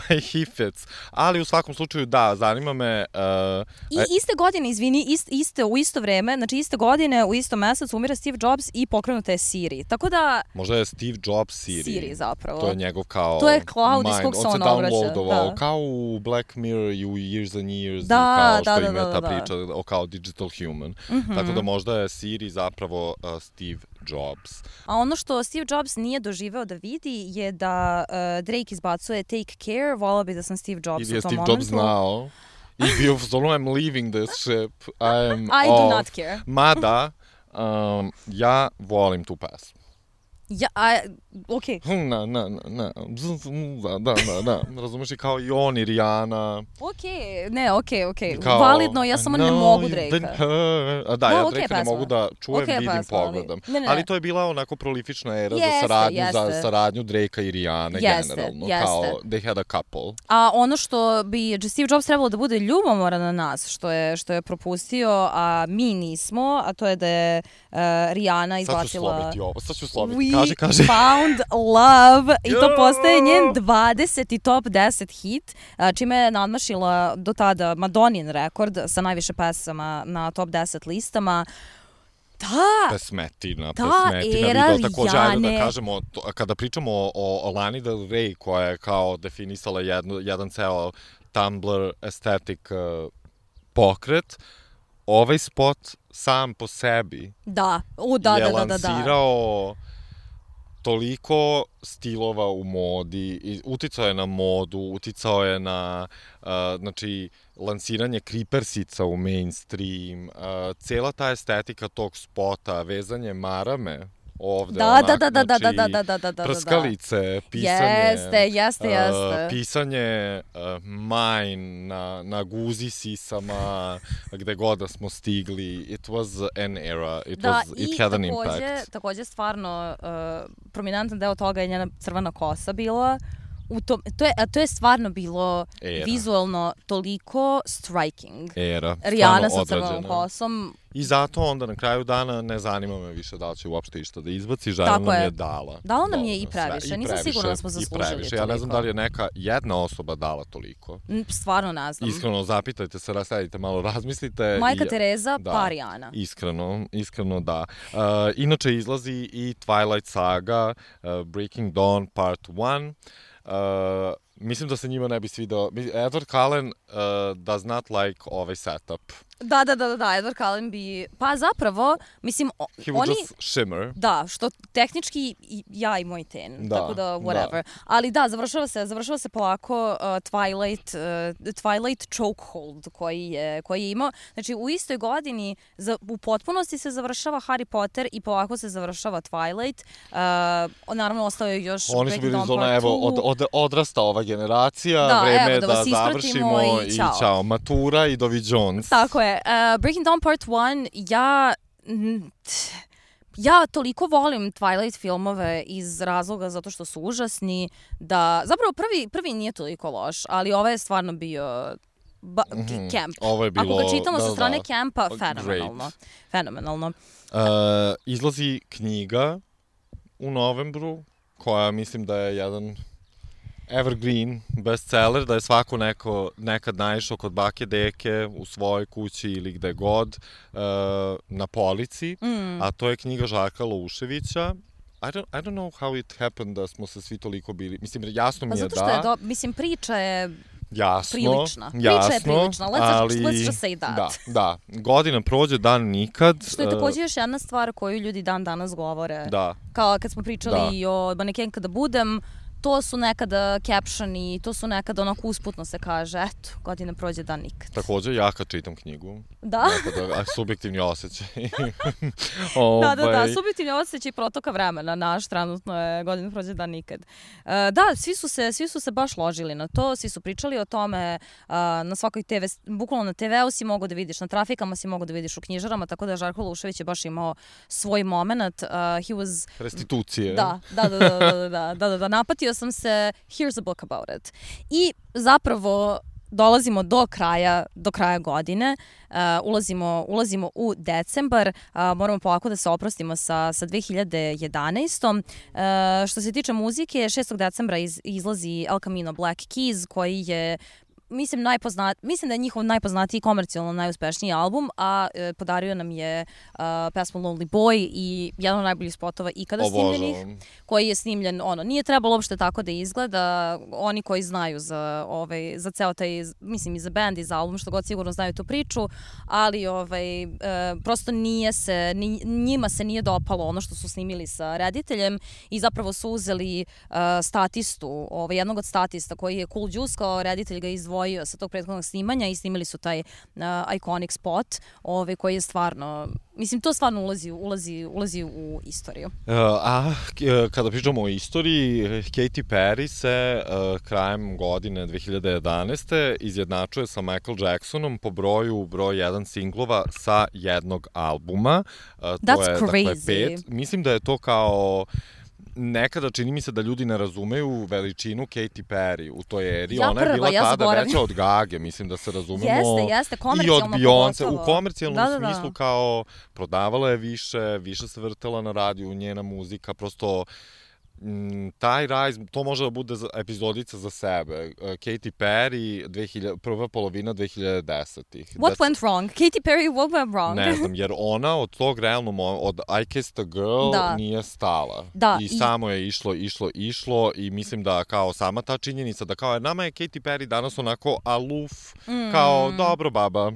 He fits. Ali u svakom slučaju, da, zanima me... I iste godine, u isto vreme, znači iste godine, u istom mesecu umire Steve Jobs i pokrenuta je Siri. Tako da... Možda je Steve Jobs Siri. Siri, zapravo. To je njegov kao... To je cloud iz kog se on obraća. On se downloadovao, kao u Black Mirror i u Years and Years, kao što ima ta priča kao digital human. Tako da možda je Siri zapravo Steve Jobs. A ono što Steve Jobs nije doživeo da vidi je da Drake izbacuje Take Care, volao bi da sam Steve Jobs u tom momentu. Steve Jobs znao i bio solo, I'm leaving this ship, I do not care. Mada, ja volim tu pesmu. Okej. Da. Razumeš, i kao i on i Rihanna. Okej. Validno, ja samo ne mogu Drake-a. Da, ja Drake ne mogu da čujem, vidim, pogledam. Ali to je bila onako prolifična era za saradnju Drake-a i Rihanne generalno. Kao, they had a couple. A ono što bi Steve Jobs trebalo da bude ljubomoran na nas, što je propustio, a mi nismo, a to je da je Rihanna izbacila... Sad ću slobiti. Kaži. Found Love, i to postaje njen 20. top 10 hit, čime je nadmašila do tada Madonin rekord sa najviše pesama na top 10 listama. Pesmetina. Era takođe, ajde da kažemo, kada pričamo o Lani Del Rey, koja je kao definisala jedan ceo Tumblr aesthetic pokret, ovaj spot sam po sebi je lansirao toliko stilova u modi, uticao je na modu, uticao je na lansiranje kripersica u mainstream, cela ta estetika tog spota, vezanje marame ovde, prskalice, pisanje, pisanje mine na guzi sisama, gde god da smo stigli. It was an era. It had an impact. Takođe stvarno prominentan deo toga je njena crvena kosa bila. To je stvarno bilo vizualno toliko striking. Rihanna sa crvenom kosom. I zato onda na kraju dana ne zanima me više da li će uopšte išta da izbaci. Žena nam je dala. Dala nam je i previše. Nisam sigurna da smo zaslužili toliko. Ja ne znam da li je jedna osoba dala toliko. Stvarno ne znam. Iskreno, zapitajte se, rastavite malo, razmislite. Majka Tereza, pa Rihanna. Iskreno da. Inače izlazi i Twilight Saga, Breaking Dawn Part 1. Mislim da se njima ne bi svidao. Edward Cullen does not like ovaj setup. Da, Edward Cullenby. Pa zapravo, mislim, He would just shimmer. Da, što tehnički ja i moj ten, tako da whatever. Da. Ali da, završava se polako Twilight chokehold koji je imao. Znači, u istoj godini u potpunosti se završava Harry Potter i polako se završava Twilight. Naravno, ostao je još Oni su bili zona, evo, odrasta ova generacija, vreme je da završimo i ćao. Matura i Dovi Jones. Tako je. Breaking Dawn Part 1, ja toliko volim Twilight filmove iz razloga zato što su užasni, da zapravo prvi nije toliko loš, ali ovaj je stvarno bio camp. Ovo je bilo, ako ga čitamo sa strane campa, fenomenalno. Izlazi knjiga u novembru, koja mislim da je jedan evergreen bestseller, da je svako nekad naišao kod bake deke u svojoj kući ili gde god na polici, a to je knjiga Žarka Louševića. I don't know how it happened da smo se svi toliko bili, mislim, jasno mi je da. Pa zato što je, mislim, priča je prilična. Priča je prilična, let's just say that. Da, godina prođe, dan nikad. Što je takođe još jedna stvar koju ljudi dan danas govore. Da. Kao kad smo pričali i o Manekenka da budem, to su nekada captioni, to su nekada onako usputno se kaže, eto, godina prođe, dan nikad. Takođe, ja kad čitam knjigu. Da? Subjektivni osjećaj. Da, subjektivni osjećaj protoka vremena, naš trenutno je godina prođe, dan nikad. Da, svi su se baš ložili na to, svi su pričali o tome, na svakoj TV, bukvalno na TV-u si mogao da vidiš, na trafikama si mogao da vidiš u knjižarama, tako da Žarko Loušević je baš imao svoj moment. Restitucije. Da, napatio sam se, here's a book about it. I zapravo dolazimo do kraja godine, ulazimo u decembar, moramo polako da se oprostimo sa 2011. Što se tiče muzike, 6. decembra izlazi El Camino Black Keys, koji je mislim da je njihov najpoznatiji komercijalno najuspešniji album, a podario nam je pesmu Lonely Boy i jedan od najboljih spotova ikada snimljenih, koji je snimljen, nije trebalo uopšte tako da izgleda. Oni koji znaju za ceo taj, mislim i za band i za album, što god sigurno znaju tu priču, ali prosto njima se nije dopalo ono što su snimili sa rediteljem i zapravo su uzeli statistu, jednog od statista koji je Cool Juice, kao reditelj ga izdvojio sa tog prethodnog snimanja i snimili su taj iconic spot koji je stvarno, mislim, to stvarno ulazi u istoriju. Kada pričamo o istoriji, Katy Perry se krajem godine 2011. izjednačuje sa Michael Jacksonom po broj 1 singlova sa jednog albuma. That's crazy. Dakle, 5. Mislim da je to kao nekada čini mi se da ljudi ne razumeju veličinu Katy Perry u toj eri. Ona je bila tada veća od Gage, mislim da se razumemo. Jeste, komercijalno i od Beyoncé. U komercijalnom smislu kao prodavala je više se vrtela na radiju, njena muzika, prosto taj rise, to može da bude epizodica za sebe. Katy Perry, prva polovina 2010-ih. What went wrong? Katy Perry, what went wrong? Ne znam, jer ona od tog realnog, od I Kissed a Girl nije stala. I samo je išlo i mislim da kao sama ta činjenica da kao nama je Katy Perry danas onako aluf, kao dobro baba.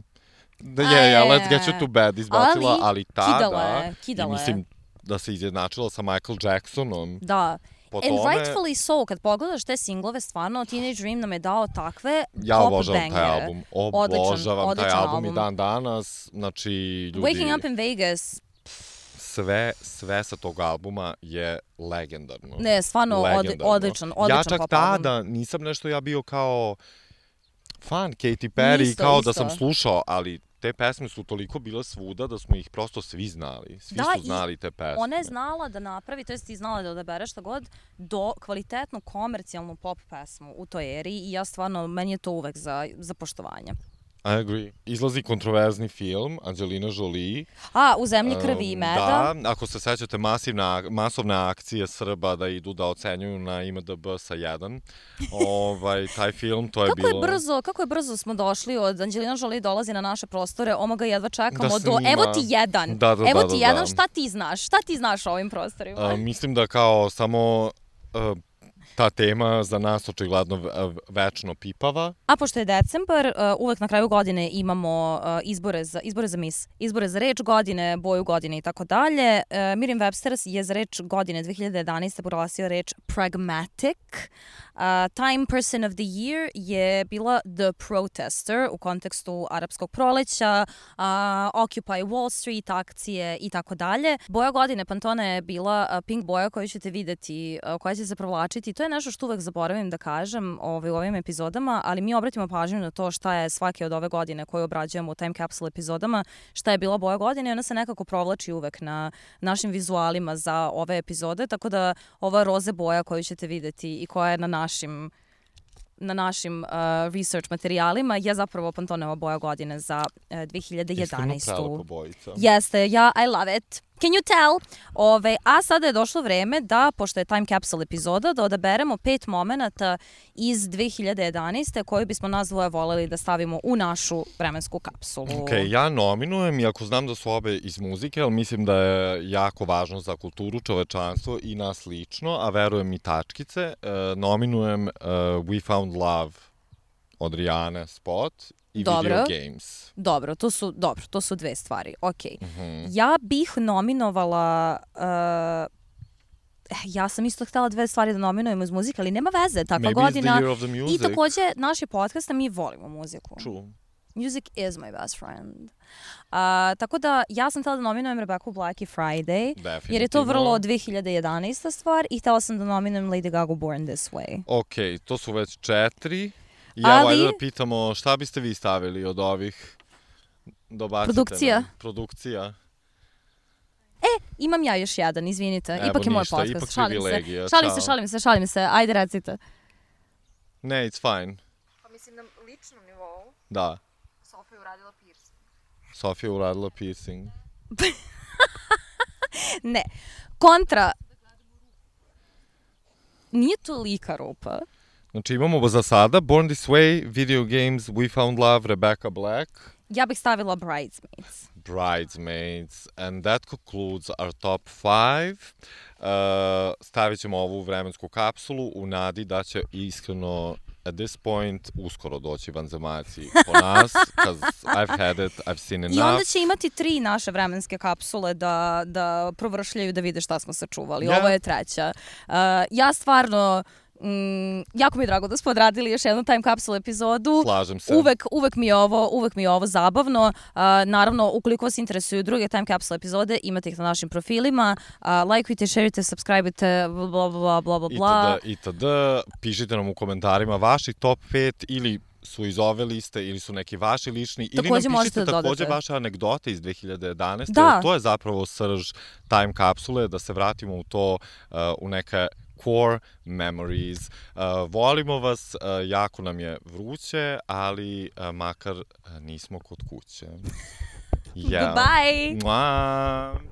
Let's get you to bed izbacila, ali tada, i mislim da se izjednačila sa Michael Jacksonom. Da. And rightfully so, kad pogledaš te singlove, stvarno, Teenage Dream nam je dao takve pop bangere. Ja obožavam taj album. Obožavam taj album i dan danas. Znači, ljudi... Waking Up in Vegas. Sve sa tog albuma je legendarno. Ne, stvarno odličan pop album. Ja čak tada nisam nešto bio kao fan Katy Perry, kao da sam slušao, ali te pesme su toliko bile svuda da smo ih prosto svi znali. Svi su znali te pesme. Ona je znala da napravi, to jest ti znala da odabere šta god, do kvalitetnu komercijalnu pop pesmu u toj eri i ja stvarno, meni je to uvek za poštovanje. I agree. Izlazi kontroverzni film, Angelina Jolie. U Zemlji krvi i meda. Da, ako se sećate masovne akcije Srba da idu da ocenjuju na IMDb sa 1. Taj film, to je bilo... Kako je brzo smo došli od Angelina Jolie dolazi na naše prostore, ga jedva čekamo evo ti jedan. Evo ti jedan, šta ti znaš? Šta ti znaš o ovim prostorima? Mislim da kao samo... ta tema za nas očigledno večno pipava. A pošto je decembar, uvek na kraju godine imamo izbore za mis, izbore za reč godine, boju godine i tako dalje. Merriam-Webster je za reč godine 2011. proglasio reč pragmatic. Time Person of the Year je bila The Protester u kontekstu arapskog proleća, Occupy Wall Street, akcije i tako dalje. Boja godine Pantona je bila pink boja koju ćete videti, koja će se provlačiti. To je nešto što uvek zaboravim da kažem u ovim epizodama, ali mi obratimo pažnju na to šta je svake od ove godine koju obrađujemo u Time Capsule epizodama, šta je bila boja godine i ona se nekako provlači uvek na našim vizualima za ove epizode, tako da ova roze boja koju ćete videti i koja je na našim research materijalima je zapravo Pantoneva boja godine za 2011. Iskreno prelepa bojica. Jeste, I love it. Can you tell? A sada je došlo vreme da, pošto je Time Capsule epizoda, da odaberemo 5 momenata iz 2011. koju bismo nas dvoje voleli da stavimo u našu vremensku kapsulu. Ok, ja nominujem, iako znam da su obe iz muzike, ali mislim da je jako važno za kulturu, čovečanstvo i nas lično, a verujem i tačkice. Nominujem We Found Love od Rihanne spot i Video Games. Dobro, to su dve stvari. Ok. Ja bih nominovala... ja sam isto htjela dve stvari da nominujem iz muzike, ali nema veze, takva godina. Maybe it's the year of the music. I takođe, naš je podcast, mi volimo muziku. True. Music is my best friend. Tako da, ja sam htjela da nominujem Rebecca Black i Friday, jer je to vrlo 2011. stvar i htjela sam da nominujem Lady Gaga Born This Way. Ok, to su već 4. Ja valjda da pitamo šta biste vi stavili od ovih? Produkcija. Imam ja još jedan, izvinite. Evo ipak je moj ništa, podcast. Šalim se. Ajde, recite. Ne, it's fine. Pa mislim na ličnom nivou. Da. Sofija je uradila piercing. Ne. Kontra. Nije tolika rupa. Znači imamo za sada Born This Way, Video Games, We Found Love, Rebecca Black. Ja bih stavila Bridesmaids. And that concludes our top 5. Stavit ćemo ovu vremensku kapsulu u nadi da će iskreno at this point uskoro doći vanzemaljci po nas, because I've had it, I've seen enough. I onda će imati 3 naše vremenske kapsule da provršljaju, da vide šta smo sačuvali. Ovo je 3. Ja stvarno... jako mi je drago da smo odradili još jednu Time Capsule epizodu. Slažem se. Uvek mi je ovo zabavno. Naravno, ukoliko vas interesuju druge Time Capsule epizode, imate ih na našim profilima. Lajkujte, šerite, subscribe-ite, bla. Itd. Pišite nam u komentarima vaši top 5 ili su iz ove liste ili su neki vaši lični. Takođe ili nam pišite takođe vaše anegdote iz 2011. Da. To je zapravo srž Time Capsule, da se vratimo u to, u neke core memories. Volimo vas, jako nam je vruće, ali makar nismo kod kuće. Goodbye! Mua.